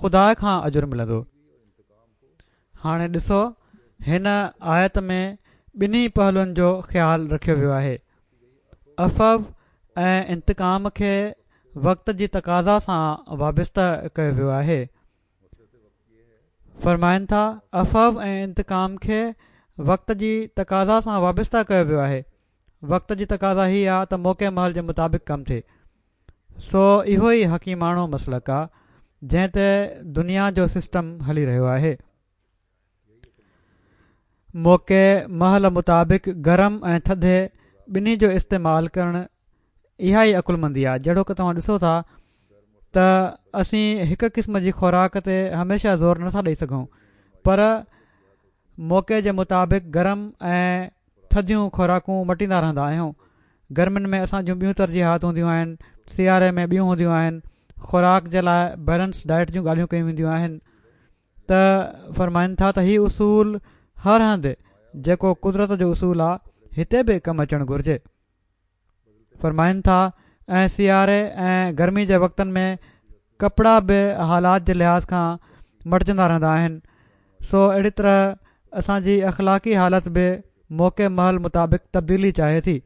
خدا کان اجر ملندو. هاڻي ڏسو هن آيت ۾ ٻنهي پهلوئن جو خيال رکيو ويو آهي. عفو ۽ انتقام کي وقت جي تقاضا سان وابسته ڪيو ويو آهي. فرمائن ٿا عفو ۽ انتقام کي وقت جي تقاضا سان وابسته ڪيو ويو آهي. وقت جي تقاضا هي آهي ته موقعي مهل جي مطابق ڪم ٿئي. سو اهو ئي حڪيماڻو مسلڪ آهي جنهن تي دنيا جو سسٽم هلي رهيو آهي. موقعي مهل مطابق گرم ۽ ٿڌي ٻنهي جو استعمال ڪرڻ اها ئي عقلمندي آهي. جهڙوڪ توهان ڏسو ٿا ته اسين هڪ قسم جي خوراڪ تي هميشه زور نٿا ڏيئي سگهون، پر موقعي جي مطابق گرم ۽ ٿڌيون خوراڪون مٽيندا رهندا آهيون. گرمين ۾ اسان جون ٻيون ترجيحات هونديون آهن، سياري ۾ ٻيون هونديون آهن. خوراڪ جي لاءِ بيلنس ڊائيٽ جون ڳالهيون ڪيون وينديون آهن. ته فرمائن ٿا ته هي اصول هر هنڌ جيڪو قدرت جو اصول آهي هتي به ڪم اچڻ گهرجي. فرمائن ٿا ۽ سياري ۽ گرمي جي وقتن ۾ ڪپڙا به حالات جي لحاظ کان مٽجندا رهندا آهن. سو اهڙي طرح اسان جي اخلاقي حالت به موقعي مهل مطابق تبديلي چاهي ٿي.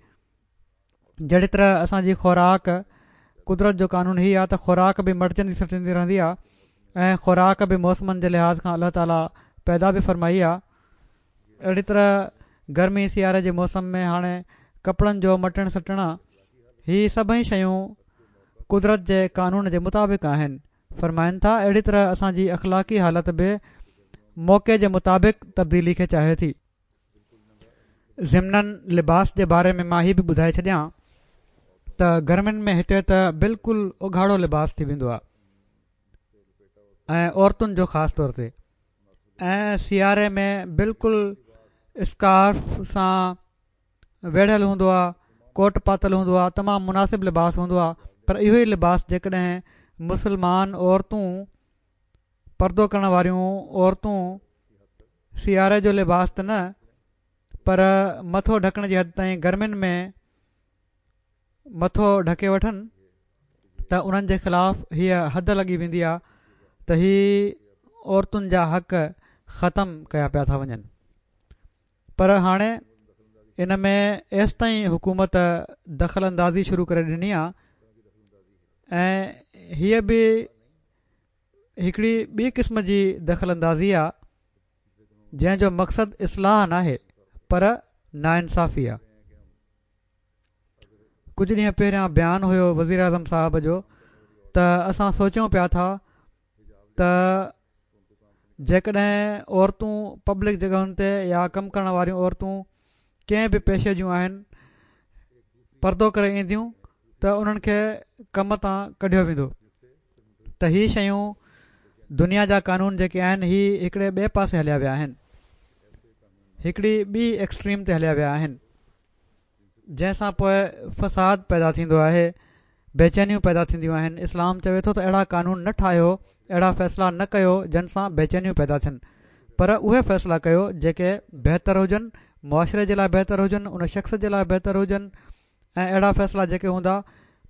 جهڙي طرح اسان جي خوراڪ، قدرت جو قانون هي آهي ته خوراڪ به مٽجندي سٽجندي رهندي آهي ۽ خوراڪ به موسمن جي لحاظ کان الله تعاليٰ پيدا به فرمائي آهي. اهڙي طرح گرمي سياري جي موسم ۾ هاڻي ڪپڙن جو مٽڻ سٽڻ، هي سڀئي شيون قدرت جي قانون جي مطابق آهن. فرمائن ٿا اهڙي طرح اسان جي اخلاقي حالت به موقعي جي مطابق تبديلي کي چاهي ٿي. ضمناً لباس جي باري ۾ مان هي به ٻڌائي ڇڏيان ته گرمين ۾ هتي ته بلڪل اگهاڙو لباس ٿي ويندو آهي ۽ عورتن جو خاص طور تي، ۽ سياري ۾ بلڪل اسڪارف سان ويڙهيل هوندو آهي، ڪوٽ پاتل هوندو آهي، تمام مناسب لباس هوندو آهي. پر اهو ئي لباس جيڪڏهن مسلمان عورتون، پردو ڪرڻ واريون عورتون سياري جو لباس ته نه پر مٿو ڍڪڻ جي حد تائين گرمين ۾ مٿو ڍڪي وٺن ته انهن جي خلاف هيء حد لڳي ويندي آهي ته هي عورتن جا حق ختم ڪيا پيا ٿا وڃن. پر هاڻي ان ۾ ايستائين حڪومت دخل اندازي شروع ڪري ڏني آهي ۽ هيء به هڪڙي ٻي قسم جي دخل اندازي آهي جنهن جو مقصد اصلاح ناهي پر ناانصافي آهي. ڪجهه ڏينهن پهريان بيان هيو وزير اعظم صاحب جو ته اسان سوچيون پيا ٿا ته جيڪڏهن عورتون پبلڪ جڳهن تي يا ڪم ڪرڻ واريون عورتون ڪنهن به پيشي جون آهن پردو ڪري اينديون ته انهن کي ڪم تان ڪڍيو ويندو. ته هي شيون دنيا جا قانون جيڪي آهن هي هڪڙي ٻئي پاسي هليا ويا آهن، هڪڙي ٻي ايڪسٽريم تي هليا ويا آهن، جنهن سان پوءِ فساد پيدا ٿيندو آهي، بيچينيون پيدا ٿينديون آهن. اسلام چوي ٿو ته اهڙا قانون نه ٺاهيو، اهڙا فيصلا نه ڪيو جن سان بيچينيون پيدا ٿين، پر اهي فيصلا ڪيو جيڪي بهتر هجن، معاشري جي لاءِ بهتر هجن، ان شخص جي لاءِ بهتر هجن، ۽ اهڙا فيصلا جيڪي هوندا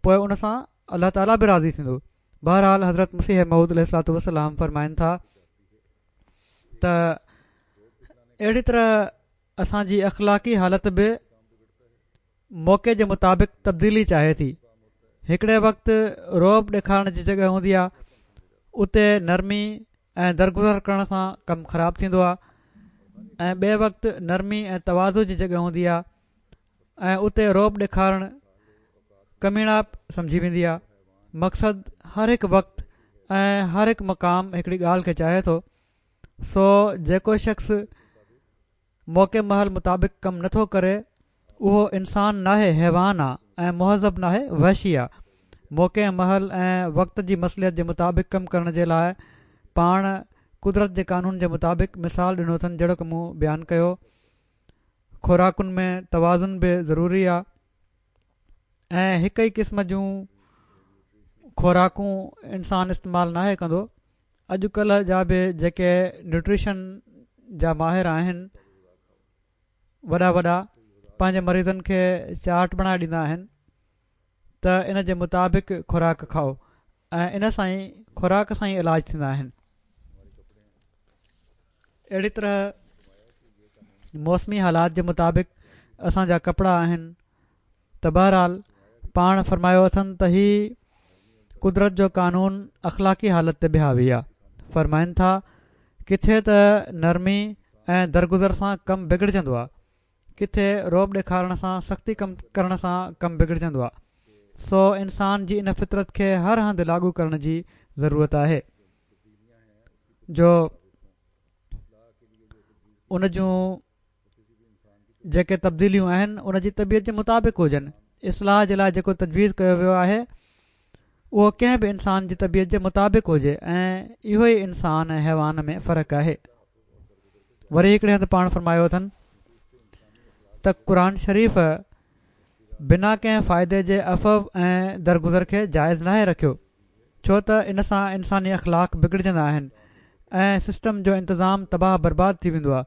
پوءِ ان سان الله تعاليٰ به راضي ٿيندو. بهرحال حضرت مسيح موعود عليه الصلوة والسلام فرمائن ٿا ته اهڙي طرح اسان جي اخلاقي حالت به موقعي جي مطابق تبديلي چاهي ٿي. هڪڙي وقت رعب ڏيکارڻ جي جڳهه هوندي آهي، اتي نرمي ۽ درگذر ڪرڻ سان ڪم خراب ٿيندو آهي، ۽ ٻئي وقت نرمي ۽ تواضع جي جڳهه هوندي آهي ۽ اتي رعب ڏيکارڻ ڪميڻائپ سمجهي ويندي آهي. مقصد هر هڪ وقت ۽ هر هڪ مقام هڪڙي ڳالهه کي چاهي ٿو. سو جيڪو شخص موقعي مهل مطابق ڪم نٿو ڪري اهو انسان ناهي، حيوان آهي ۽ مهذب ناهي، وحشي آهي. موقعي مهل ۽ وقت جي مصلحت جي مطابق ڪم ڪرڻ جي لاءِ پاڻ قدرت جي قانون جي مطابق مثال ڏنو اٿن، جهڙوڪ مون بيان ڪيو. خوراڪن ۾ توازن به ضروري آهي ۽ هڪ ئي قسم جون خوراڪون انسان استعمال ناهي ڪندو. اڄڪلهه جا به جيڪي نيوٽريشن جا ماهر آهن وڏا وڏا پنهنجي مريضن کي چارٽ بڻائي ڏيندا آهن ته ان جي مطابق خوراڪ کائو ۽ ان سان ئي خوراڪ سان ئي علاج ٿيندا آهن. اهڙي طرح موسمي حالات جي مطابق اسان جا ڪپڙا آهن. ته بهرحال پاڻ فرمايو اٿن ته هي قدرت جو قانون اخلاقي حالت تي به حاوي آهي. فرمائن ٿا ڪٿي ته نرمي ۽ درگذر سان ڪم بگڙجندو آهي، ڪٿي رعب ڏيکارڻ سان سختي ڪم ڪرڻ سان ڪم بگڙجندو آهي. سو انسان جي ان فطرت کي هر هنڌ لاڳو ڪرڻ جي ضرورت آهي جو ان جون جيڪي تبديليون آهن ان جي طبيعت جي مطابق هجن. اصلاح جي لاءِ جيڪو تجويز ڪيو ويو آهي اهو ڪنهن به انسان جي طبيعت جي مطابق هجي ۽ اهو ئي انسان ۽ حيوان ۾ فرق آهي. وري هڪڙي هنڌ پاڻ فرمايو اٿن ته قرآن شريف بنا ڪنهن فائدي جي عفو ۽ درگذر کي جائز ناهي رکيو، ڇو ته ان سان انساني اخلاق بگڙجندا آهن ۽ سسٽم جو انتظام تباهه برباد ٿي ويندو آهي.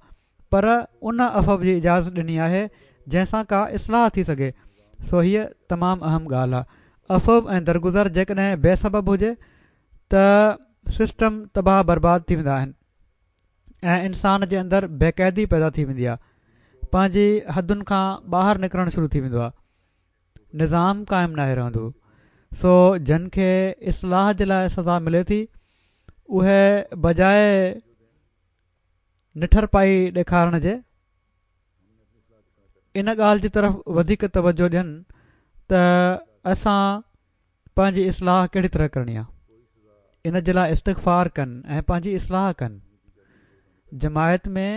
پر ان عفو جي اجازت ڏني آهي جنهن سان ڪا اصلاح ٿي سگهي. سو هيء تمام اهم ڳالهه آهي. عفو ۽ درگذر جيڪڏهن بي سبب هجي ته سسٽم تباهه برباد ٿي ويندا آهن ۽ انسان جي اندر بيقاعدي پيدا ٿي ويندي آهي، پنهنجي حدن کان ٻاهر نڪرڻ شروع ٿي ويندو آهي، نظام قائم ناهي رهندو. سو جن کي اصلاح جي لاءِ سزا ملي ٿي اهي بجاءِ نٺر پائي ڏيکارڻ جي ان ڳالهه جي طرف وڌيڪ توجهه ڏين ته اسان پنهنجي اصلاح ڪهڙي طرح ڪرڻي آهي. ان جي لاءِ استغفار ڪن ۽ پنهنجي اصلاح ڪن. جماعت ۾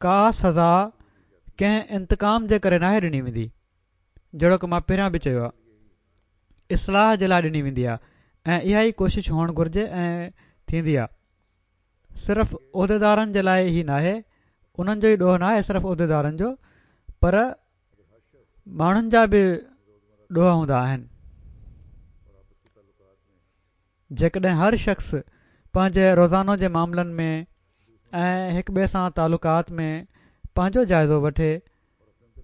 ڪا سزا ڪنهن انتقام جي ڪري ناهي ڏني ويندي، جهڙوڪ مان پهريان به چيو آهي، اصلاح جي لاءِ ڏني ويندي آهي ۽ اها ئي ڪوشش هئڻ گهرجي ۽ ٿيندي آهي. صرف عهديدارن جي لاءِ ئي ناهي، انهن جو ئي ڏوهه ناهي صرف عهديدارن جو، پر ماڻهن جا به ڏوهه هوندا آهن. جيڪڏهن هر شخص پنهنجي روزانو جي معاملن ۾ ۽ هڪ ٻئي سان تعلقات ۾ پنهنجو جائزو وٺي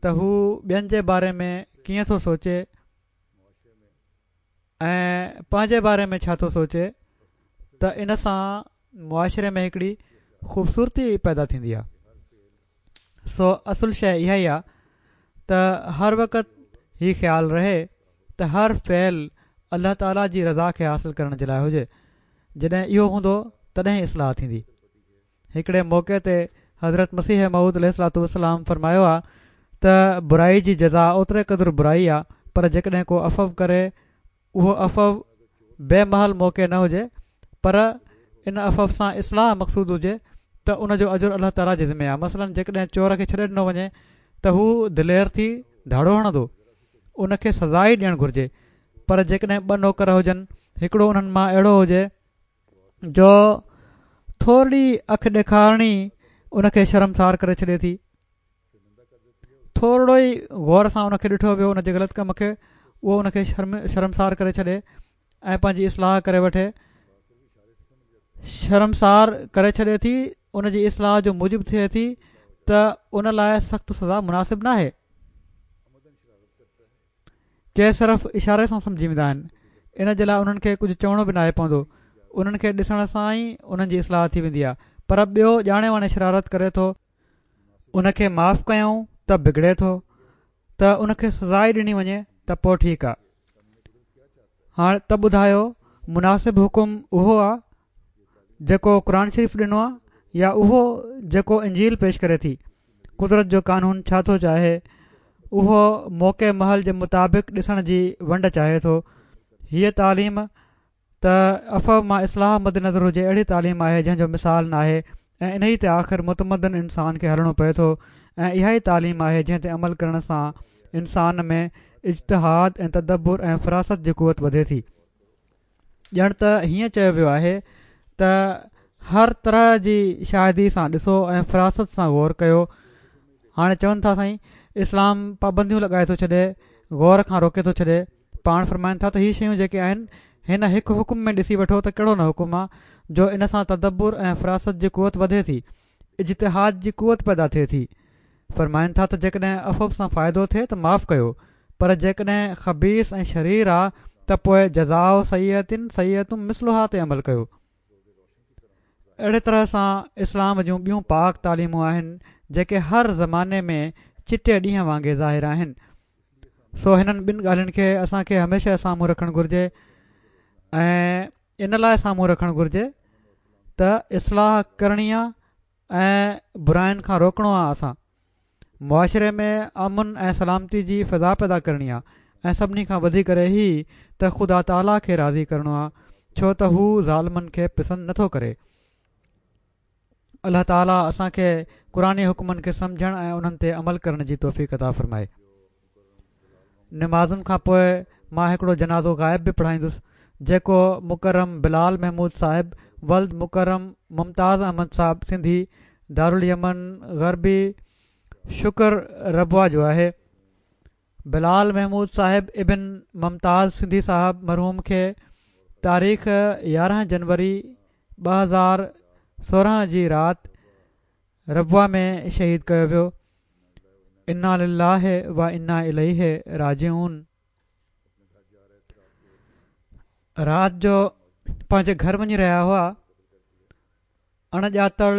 ته هو ٻين جي باري ۾ ڪيئن ٿو سوچي ۽ پنهنجي باري ۾ ڇا ٿو سوچي ته ان سان معاشري ۾ هڪڙي خوبصورتي پيدا ٿيندي آهي. سو اصل شيءِ اها ئي آهي ته هر وقت هي خيال رهي ته هر فعل الله تعاليٰ جي رضا کي حاصل ڪرڻ جي لاءِ هجي. جڏهن اهو هوندو تڏهن اصلاح ٿيندي. هڪڙي موقعي تي حضرت مسيح موعود عليه الصلوة والسلام فرمايو آهي ته برائي جي جزا اوتري قدر برائي آهي، پر جيڪڏهن ڪو عفو ڪري اهو عفو بي محل موقعي نه هجي پر ان عفو سان اصلاح مقصود هجي ته ان جو اجر الله تعاليٰ جي ذمي آهي. مثلاً جيڪڏهن چور کي ڇڏي ڏنو وڃي ته هو دلير ٿي ڌاڙو هڻندو، ان کي سزا ئي ڏيڻ گهرجي. پر جيڪڏهن ٻه نوڪر هجن، هڪڙو انهن مان اهڙو هجي جو ٿورڙي اک ڏيکارڻي ان کي شرمسار ڪري ڇڏي ٿي، ٿورڙو ئي غور سان ان کي ڏٺو ويو ان جي غلط ڪم کي، اهو ان کي شرم شرمسار ڪري ڇڏي ۽ پنهنجي اصلاح ڪري وٺي، شرمسار ڪري ڇڏي ٿي، ان جي اصلاح جو موجب ٿئي ٿي ته ان لاءِ سخت سزا مناسب ناهي. ڪي صرف اشاري سان سمجهي ويندا آهن، ان جي لاءِ انهن کي ڪجهه چوڻو به ناهي پوندو، انهن کي ڏسڻ سان ئي انهن جي اصلاح ٿي ويندي آهي. پر ٻيو ڄاڻي واڻي شرارت ڪري ٿو، ان کي معاف ڪيون ته بگڙي ٿو، ته ان کي سزا ئي ڏني وڃي ته پوءِ ٺيڪ آهي. هاڻي ته ٻڌايو مناسب حڪم اهو آهي جيڪو قرآن شريف ڏنو آهي يا اهو جيڪو انجيل پيش ڪري ٿي؟ قدرت جو قانون ڇا ٿو چاهي؟ اهو موقعي محل جي مطابق ڏسڻ جي ونڊ چاهي ٿو. هيءَ تعليم ته عفو مان اصلاح مد نظر هجي اهڙي تعليم آهي جنهن جو مثال ناهي ۽ انهيءَ تي آخر متمدن انسان کي هلڻو پئي ٿو ۽ اها ئي تعليم آهي جنهن تي عمل ڪرڻ سان انسان ۾ اجتهاد ۽ تدبر ۽ فراست جي قوت وڌي ٿي. ڄڻ ته هيئن چيو ويو آهي ته هر طرح جي شاهدي سان ڏسو ۽ فراست سان غور ڪيو. هاڻي چون ٿا سائين اسلام پابنديون لڳائي ٿو ڇڏي، غور کان روڪي ٿو ڇڏي. پاڻ فرمائن ٿا ته هي شيون جيڪي آهن هن هڪ حڪم ۾ ڏسي وٺو ته ڪهڙو نه حڪم آهي جو ان سان تدبر ۽ فراست جي قوت وڌي ٿي، اجتهاد جي قوت پيدا ٿئي ٿي. فرمائن ٿا ته جيڪڏهن عفو سان فائدو ٿئي ته معاف ڪيو، پر جيڪڏهن خبيث ۽ شرير آهي ته پوءِ جزاءُ سيئة سيئة مثلها تي عمل ڪيو. اهڙي طرح سان اسلام جون ٻيون پاڪ تعليمون آهن جيڪي هر زماني ۾ چٽي ڏينهن وانگي ظاهر آهن. سو هنن ٻن ڳالهين کي اسان کي هميشه سامهون رکڻ گهرجي ۽ ان لاءِ سامهون رکڻ گهرجي ته اصلاح ڪرڻي آهي ۽ براين کان روڪڻو آهي. اسان معاشري ۾ امن ۽ سلامتي جي فضا پيدا ڪرڻي آهي ۽ سڀني کان وڌي ڪري هي ته خدا تعاليٰ کي راضي ڪرڻو آهي، ڇو ته هو ظالمن کي پسند نٿو ڪري. الله تعاليٰ اسان کي قرآني حڪمن کي سمجهڻ ۽ انهن تي عمل ڪرڻ جي توفيق عطا فرمائي. نمازن کان پوءِ مان هڪڙو جنازو غائب به پڙهائيندس جيڪو مڪرم بلال محمود صاحب ولد مڪرم ممتاز احمد صاحب سنڌي دارال يمن غربي شڪر ربوه جو آهي. بلال محمود صاحب ابن ممتاز سنڌي صاحب مرحوم کي تاريخ يارهن جنوري ٻه هزار سورهن جي رات ربوه ۾ شهيد ڪيو ويو. انا لله و انا اليه راجعون. رات جو پنهنجي گهر وڃي رهيا هئا، اڻڄاتل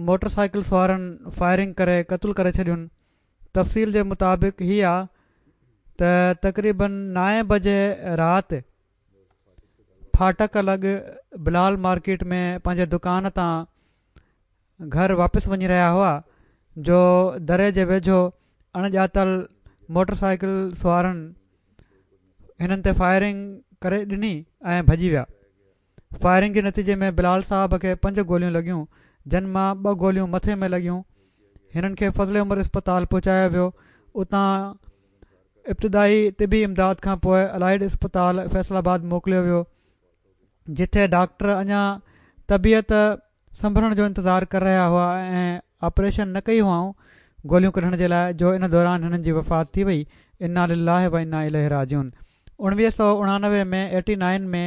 موٽر سائيڪل سوارن فائرنگ ڪري قتل ڪري ڇڏين. تفصيل جي مطابق هي آ ته تقريبن نائين بجي رات ڦاٽڪ لڳ بلال مارڪيٽ ۾ پنهنجي دڪان تان گهر واپس وڃي رهيا هئا جو دري جي ويجهو اڻڄاتل موٽر سائيڪل سوارن هنن تي فائرنگ ڪري ڏني ۽ ڀڄي ويا. فائرنگ جي نتيجي ۾ بلال صاحب کي پنج گوليون لڳيون، جن مان ٻه گوليون مٿي ۾ لڳيون. هنن کي فضل عمر اسپتال پهچايو ويو. اتان ابتدائي طبي امداد کان پوءِ الائيڊ اسپتال فيصل آباد موڪليو ويو، جتي ڊاڪٽر اڃا طبيعت سنڀرڻ جو انتظار ڪري رهيا هئا ۽ آپريشن نه ڪئي هئائون گوليون ڪڍڻ جي لاءِ، جو ان دوران هنن جي وفات ٿي وئي. انا لله و انا اليه راجعون. اڻويهه سؤ اڻانوي ۾ ايٽي نائن ۾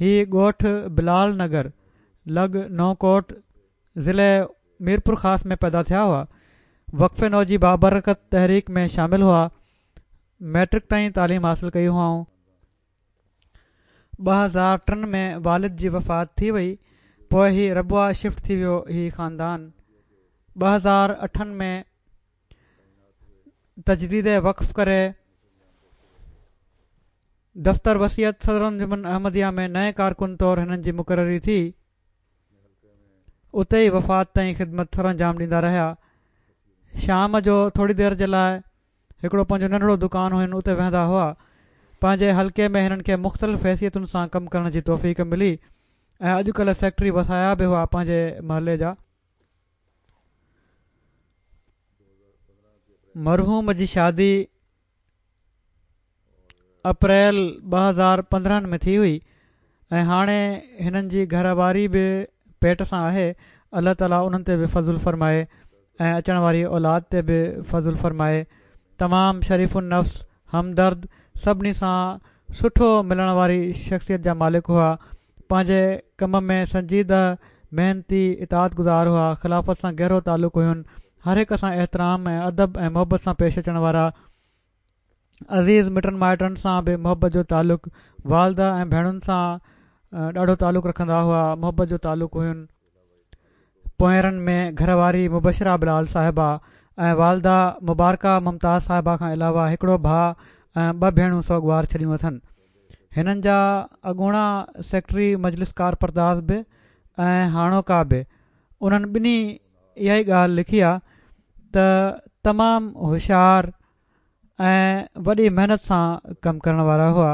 هي ڳوٺ بلال نگر لڳ نئون ڪوٽ ضلعي ميرپور خاص ۾ پيدا ٿيا هئا. وقف نو جي بابرڪت تحريڪ ۾ شامل هئا. ميٽرڪ تائين تعليم حاصل ڪئي هئائون. ٻه هزار ٽن ۾ والد جي وفات ٿي وئي. پوءِ هي ربوه شفٽ ٿي ويو. هي خاندان ٻه هزار اٺن ۾ تجديد وقف ڪري دفتر وصيت صدر انجمن احمديه ۾ نئين ڪارڪن طور هنن جي مقرري ٿي. اتي ئي وفات تائين خدمت سر انجام ڏيندا رهيا. شام جو ٿوري دير جي لاءِ هڪڙو پنهنجو ننڍڙو دڪان هين، اتي ويهندا هئا. پنهنجي حلقي ۾ هنن کي مختلف حيثيتن سان ڪم ڪرڻ جي توفيق ملي ۽ اڄڪلهه سيڪريٽري وصايا به هئا پنهنجي محلي جا. مرحوم جي شادي اپريل ٻه هزار پندرهن ۾ ٿي هئي ۽ هاڻي هنن جي گهر واري به پيٽ سان آهي. الله تعاليٰ انهن تي به فضل فرمائي ۽ اچڻ واري اولاد تي به فضل فرمائي. تمام شريف النفس، همدرد، سڀني سان سٺو ملڻ واري شخصيت جا مالڪ هئا. پنهنجي ڪم ۾ سنجيده، محنتي، اطاعت گذار هئا. خلافت سان گهرو تعلق هين. هر هڪ سان احترام ۽ ادب ۽ محبت سان پيش اچڻ وارا. عزيز مٽن مائٽن سان به محبت جو تعلق، والده ۽ ڀيڻن سان ڏاڍو تعلق رکندا هئا، محبت جو تعلق هين. پوئرن ۾ گهر واري مبشره بلال صاحبه ۽ والده مبارڪه ممتاز صاحبه کان علاوه هڪڙو ڀاءُ ۽ ٻه ڀيڻون سوڳوار ڇڏيون اٿن. هنن جا اڳوڻا سيڪريٽري مجلس ڪارپرداز به ۽ هاڻوڪا به انهن ٻنهي اها ئي ڳالهه لکي آهي ته تمام هوشيار ۽ وڏي محنت سان ڪم ڪرڻ وارا هئا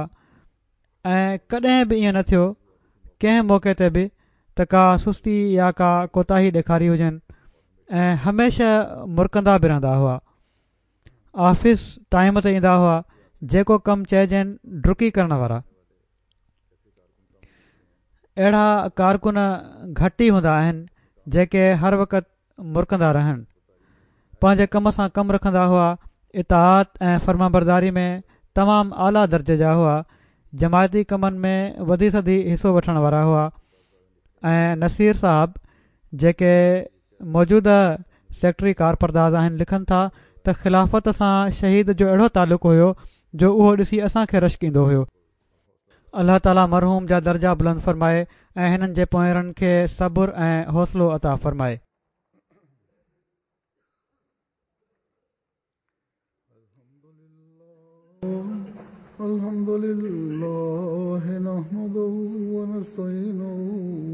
۽ ڪڏهن به ائين نه ٿيو ڪنهن موقعي تي به ته ڪا سستي يا ڪا ڪوتاهي ڏيکاري هجن ۽ هميشه مرڪندا به رهندا هئا. آفيس ٽائيم تي ايندا هئا، جيڪو ڪم چئجين ڊڪي ڪرڻ وارا. اهڙا ڪارڪن گهٽ ئي هوندا آهن جيڪي هر وقت مرڪندا رهن. پنهنجي ڪم سان ڪم رکندا هئا. اطاعت ۽ فرمانبرداري ۾ تمام اعليٰ درجي جا هئا. جماعتي ڪمن ۾ وڌي سڌي حصو وٺڻ وارا هئا. ۽ نصير صاحب جيڪي موجوده سيڪريٽري ڪارپرداز آهن لکن ٿا ته خلافت سان شهيد جو اهڙو تعلق هيو جو اهو ڏسي اسان کي رشڪ ايندو هيو. الله تعاليٰ مرحوم جا درجا بلند فرمائي ۽ هنن جي پوئرن کي صبر ۽ حوصلو عطا فرمائي. الحمد لله نحمده ونستعينه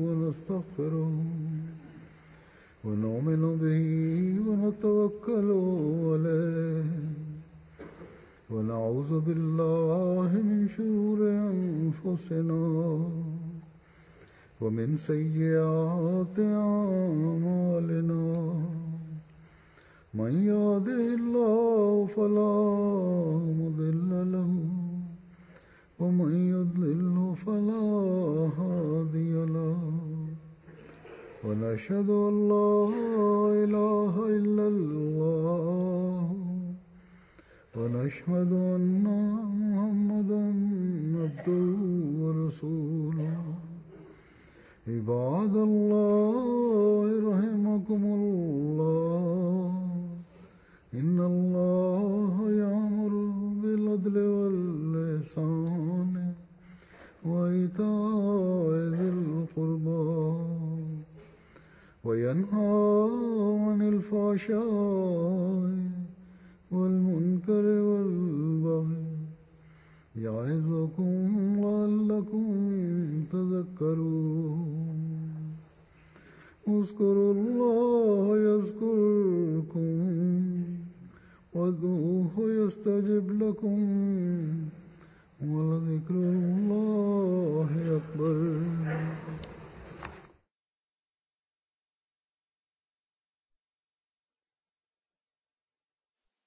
ونستغفره ونؤمن به ونتوكل عليه ونعوذ بالله من شرور أنفسنا ومن سيئات أعمالنا من يهده الله فلا مضل له ومن يضلل فلا هادي له ونشهد أن لا إله إلا الله ونشهد أن محمدا عبده ورسوله. عباد الله رحمكم الله، إن الله يأمر بالعدل والإحسان وإيتاء ذي القربى وينهى عن الفحشاء والمنكر والبغي يعظكم لعلكم تذكرون. اذكروا الله يذكركم وادعوه يستجب لكم ولذكر الله أكبر.